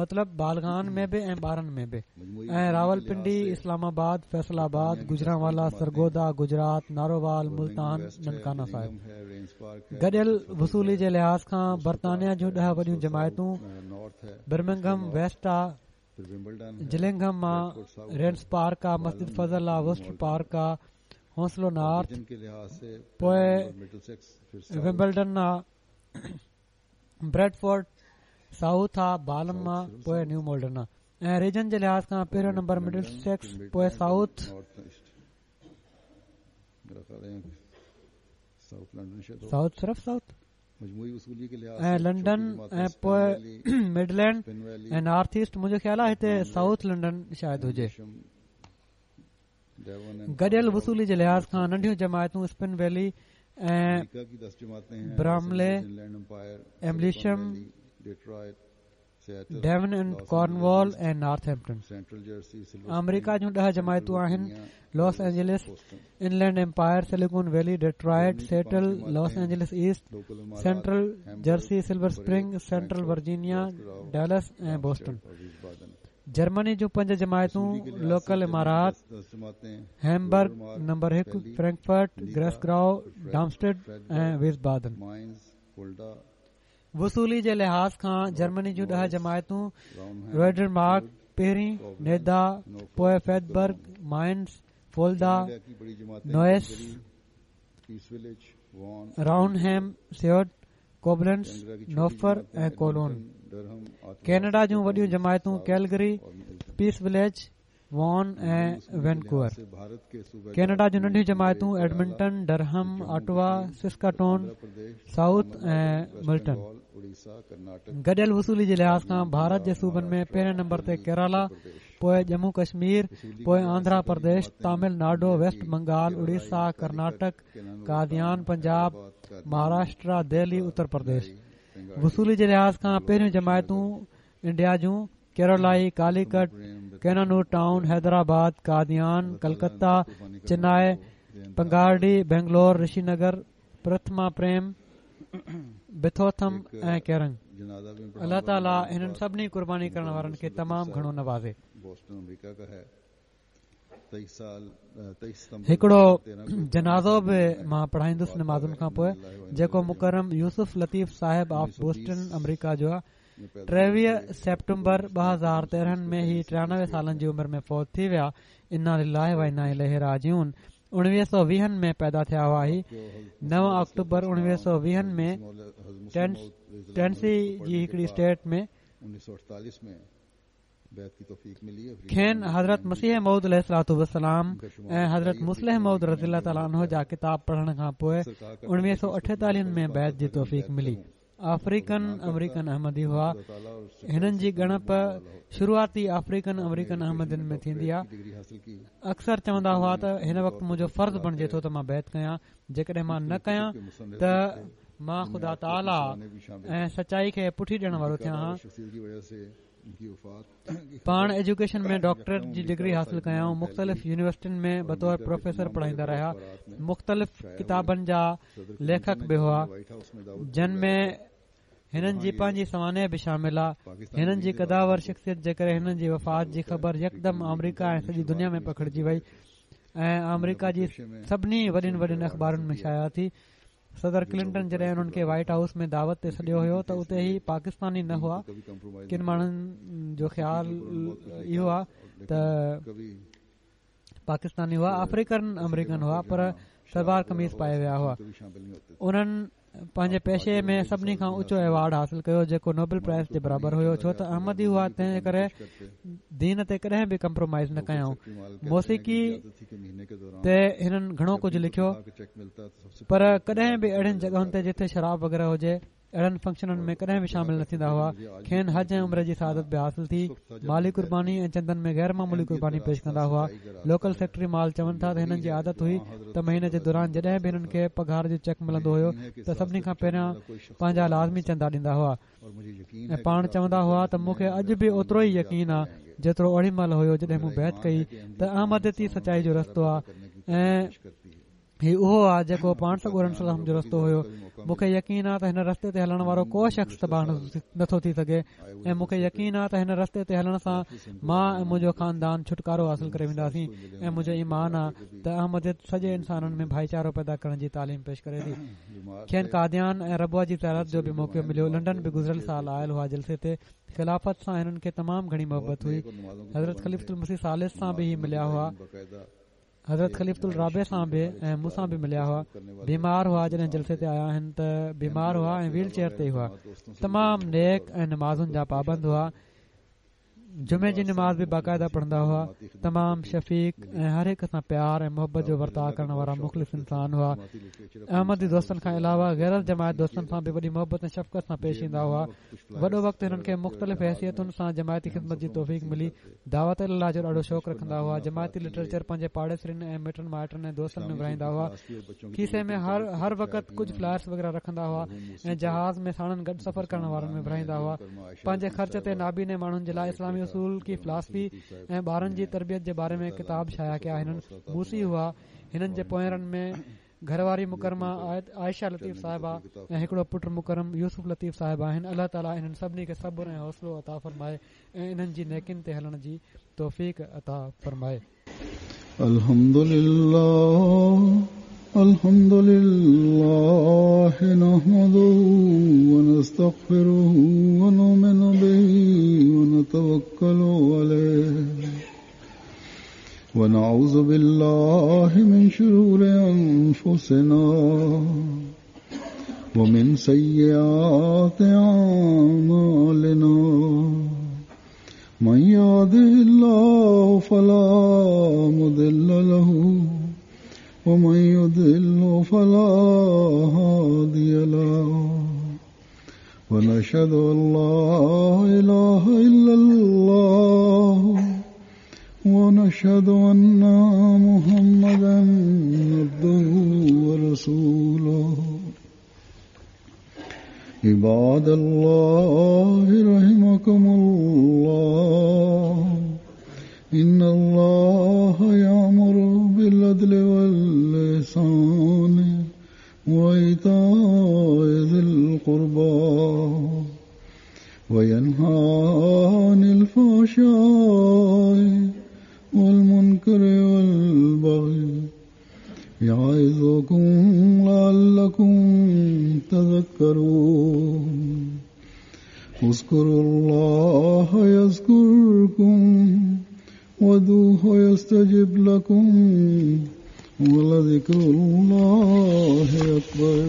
مطلب بالغان ۾ به ۽ ٻارن ۾ به. ۽ راولپنڊي، اسلام آباد، فيصل آباد، گجرانوالا، سرگوڌا، گجرات، نارووال، ملتان، ننڪانه صاحب. گڏيل وصولي جي لحاظ کان برطانيا جون ڏهه وڏيون جماعتون برمنگهم ويسٽ آهي، جلنگهم آ، رينس پارڪ آ، مسجد فضل آ، وسٽر پارڪ آ، هونسلو نارٿ، پوءِ ومبلڊن آ، بريڊفورڊ سائوٿ آ، بالم آ، پوءِ نيو مولڊن آ. ۽ ريجن جي لحاظ کان پهريون نمبر مڊل سيڪس، پوءِ سائوٿ سائوٿ صرف سائوٿ ۽ لنڊن ۽ پوءِ مڊلينڊ ۽ نارٿ ايسٽ. منهنجو خيال آهي هتي سائوٿ لنڊن شايد هجي. گڏيل وصولي جي لحاظ کان ننڍيون جماعتون Spen Valley ۽ Bramley, Amersham, Devon and Cornwall ۽ Northampton. آمريڪا جون ڏهه جماعتون آهن: Los Angeles, Inland Empire, Silicon Valley, Detroit, Seattle, Los Angeles East, Central Jersey, Silver Spring, Central Virginia, Dallas ۽ Boston. Germany جون پنج جماعتون: لوڪل امارات، هيمبرگ نمبر هڪ، Frankfurt, گريسگراو، ڊامسٽيڊ ۽ ويسبادن. وصولي جي لحاظ کان جرمني جون ڏهه جماعتون: روئڊرمارڪ پهرين، نيدا، پوءِ فيدبرگ، مائنز، فولدا، نوئس، راؤنهيم، سيوڊ، ڪوبلنس، نوفر ۽ ڪولون. ڪينيڊا جون وڏيون جماعتون: Calgary, Peace Village, Vaughan ۽ Vancouver. Canada جون ننڍيون جماعتون: Edmonton, Durham, Ottawa, Saskatoon South ۽ Milton. گڏيل وصولي جي لحاظ کان ڀارت جي صوبن ۾ پهرين نمبر تي ڪيرالا، پوءِ ڄمون ڪشمير، پوءِ آنڌرا پرديش، تامل ناڊو، ويسٽ بنگال، اڙيسا، ڪرناٽڪ، قاديان، پنجاب، مهاراشٽرا، دهلي، اتر پرديش. وصولي جي لحاظ کان پهريون جماعتون انڊيا جون: ڪيرولائي، ڪاليڪٽ، ڪينانور ٽائون، حيدرآباد، قاديان، ڪلڪتا، چنائي، پنگارڊي، بينگلور، رشي نگر، پرٿما پريم، بٿوٿم ۽ ڪيرنگ. الله تعاليٰ هنن سڀني قرباني ڪرڻ وارن کي تمام گهڻو نوازي. هڪڙو جنازو به مان پڙهائيندس نمازن کان پوءِ، جيڪو مڪرم يوسف لطيف صاحب آف بوسٽن آمريڪا جو آهي. ٽيويهه سيپٽمبر ٻه هزار تيرهن ۾ هي ٽيانوي سالن جي عمر ۾ فوت ٿي ويا. انا لله و انا اليه راجعون. اڻويهه سؤ ويهن ۾ پيدا ٿيا هئا. هي نو آڪٽوبر اڻويهه سؤ ويهن ۾ ٽينسي جي هڪڙي اسٽيٽ ۾ کين حضرت مسيح موعود عليه الصلوة والسلام ۽ حضرت مصلح موعود رضي الله تعالٰي عنه جا ڪتاب پڙهڻ کان پوءِ اڻويهه سؤ اٺيتاليهن ۾ بيعت جي توفيق ملي. آفريڪن آمريڪن احمدي هئا. هنن جي ڳڻپ شروعاتي آفريڪن آمريڪن احمدين ۾ ٿيندي آهي. اڪثر چوندا هئا ته هن وقت منهنجو فرض بڻجي ٿو ته مان بيعت ڪيان، جيڪڏهن مان نه ڪيان ته مان خدا تعاليٰ ۽ سچائي کي پٺي ڏيڻ وارو ٿيان ها. پاڻ ايجوڪيشن ۾ ڊاڪٽريٽ جي ڊگري حاصل ڪيائون. مختلف يونيورسٽين ۾ بطور پروفيسر پڙهائيندا رهيا. مختلف ڪتابن جا ليکڪ به هئا، جن ۾ هنن جي پنهنجي سوانح به شامل آهي. هنن جي قداور شخصيت جي ڪري هنن جي وفات جي خبر يڪدم آمريڪا ۽ سڄي دنيا ۾ پکڙجي وئي ۽ آمريڪا جي سڀني وڏين وڏين اخبارن ۾ شايع ٿي. صدر ڪلنٽن جڏهن انهن کي وائيٽ هائوس ۾ دعوت تي سڏيو هيو ته اتي هي پاڪستاني نه هئا. ڪن ماڻهن جو خيال اهو آهي ته پاڪستاني هئا، آفريڪن آمريڪن هئا، پر سلوار قميص پائي ويا هئا. انهن پنهنجي پيشي ۾ سڀني کان اوچو ايوارڊ حاصل ڪيو جيڪو نوبل پرائز جي برابر هيو. ڇو ته احمدي هئا تنهن ڪري دين تي ڪڏهن به ڪمپرومائز نه ڪيائون. موسيقي تي هنن گهڻو ڪجهه لکيو، پر ڪڏهن به اهڙين جڳهن تي جتي شراب وغيره هجي اهڙن فنڪشنن ۾ ڪڏهن به شامل نه ٿيندا هئا. کين حج ۽ عمري جي سعادت به حاصل ٿي. مالي قرباني ۽ چندن ۾ غير معمولي قرباني پيش ڪندا هئا. لوڪل سيڪريٽري مال چون ٿا ته هنن جي عادت هئي ته مهيني جي دوران جڏهن به هنن کي پگهار جو چيڪ ملندو هيو ته سڀني کان پهريان پنهنجا لازمي چندا ڏيندا هئا ۽ پاڻ چوندا هئا ته مون کي اڄ به اوترو ئي يقين آهي جيترو اوڏي مهل هيو جڏهن مون بيعت ڪئي ته احمديت ئي سچائي جو رستو آهي ۽ هي اهو آهي جيڪو پاڻ سڳورن صلي الله عليه وسلم جو رستو هيو. مون کي يقين آهي ته هن رستي تي هلڻ وارو ڪو شخص تباهه نٿو ٿي سگهي ۽ مون کي يقين آهي ته هن رستي تي هلڻ سان مان ۽ منهنجو خاندان ڇوٽڪارو حاصل ڪري وينداسين ۽ منهنجو ايمان آهي ته احمديت سڄي انسانن ۾ ڀائيچارو پيدا ڪرڻ جي تعليم پيش ڪري ٿي. کين قاديان ۽ ربوه جي زيارت جو به موقعو مليو. لنڊن به گذريل سال آيل هئا جلسي تي. خلافت سان هنن کي تمام گهڻي محبت هئي. حضرت خليفة المسيح ثالث سان به هي مليا هئا، حضرت خليفة الرابع سان به ۽ مون سان به مليا هئا. بيمار هئا جڏهن جلسي تي آيا آهن ته بيمار هئا ۽ ويل چيئر تي هئا. تمام نيڪ ۽ نمازن جا پابند هئا. جمعي جي نماز به باقاعده پڙهندا هئا. تمام شفيق ۽ هر هڪ سان پيار ۽ محبت جو ورتاءُ ڪرڻ وارا مخلص انسان هئا. احمدي دوستن کان علاوه غير جماعت دوستن سان به وڏي محبت ۽ شفقت سان پيش ايندا هئا. وڏو وقت هنن کي مختلف حيثيتن سان جماعتي خدمت جي توفيق ملي. دعوت الله جو ڏاڍو شوق رکندا هئا. جماعتي لٽريچر پنهنجي پاڙيسرين ۽ مٽن مائٽن ۽ دوستن ۾ ورهائيندا هئا. کيسي ۾ هر هر وقت ڪجهه فلائرس وغيره رکندا هئا ۽ جهاز ۾ ساڻن گڏ سفر ڪرڻ وارن ۾ ورهائيندا هئا. پنهنجي خرچ تي نابيني ماڻهن جي لاءِ اسلامي اصول ڪي فلاسفي ۽ ٻارن جي تربيت جي باري ۾ ڪتاب شايع ڪيا. هنن موصي هئا. هنن جي پوئرن ۾ گهر واري مڪرمه عائشه لطيف صاحبه ۽ هڪڙو پٽ مڪرم يوسف لطيف صاحب آهن. الله تعاليٰ انهن سڀني کي صبر ۽ حوصلو عطا فرمائي ۽ انهن جي نيڪين تي هلڻ جي توفيق عطا فرمائي. الحمدلله الحمدلله نحمده ونستغفره ونؤمن به ونتوكل عليه ونعوذ بالله من شرور أنفسنا ومن سيئات أعمالنا من يهده الله فلا مضل له ومن يضلل فلا هادي له ونشهد أن لا إله إلا الله ونشهد أن محمدا عبده ورسوله. عباد الله رحمكم الله، إن الله يأمر بالعدل والإحسان وإيتاء ذي القربى وينهى عن الفحشاء والمنكر والبغي يعظكم لعلكم تذكرون. اذكروا الله يذكركم وادعوه يستجب لكم ولذكر الله أكبر.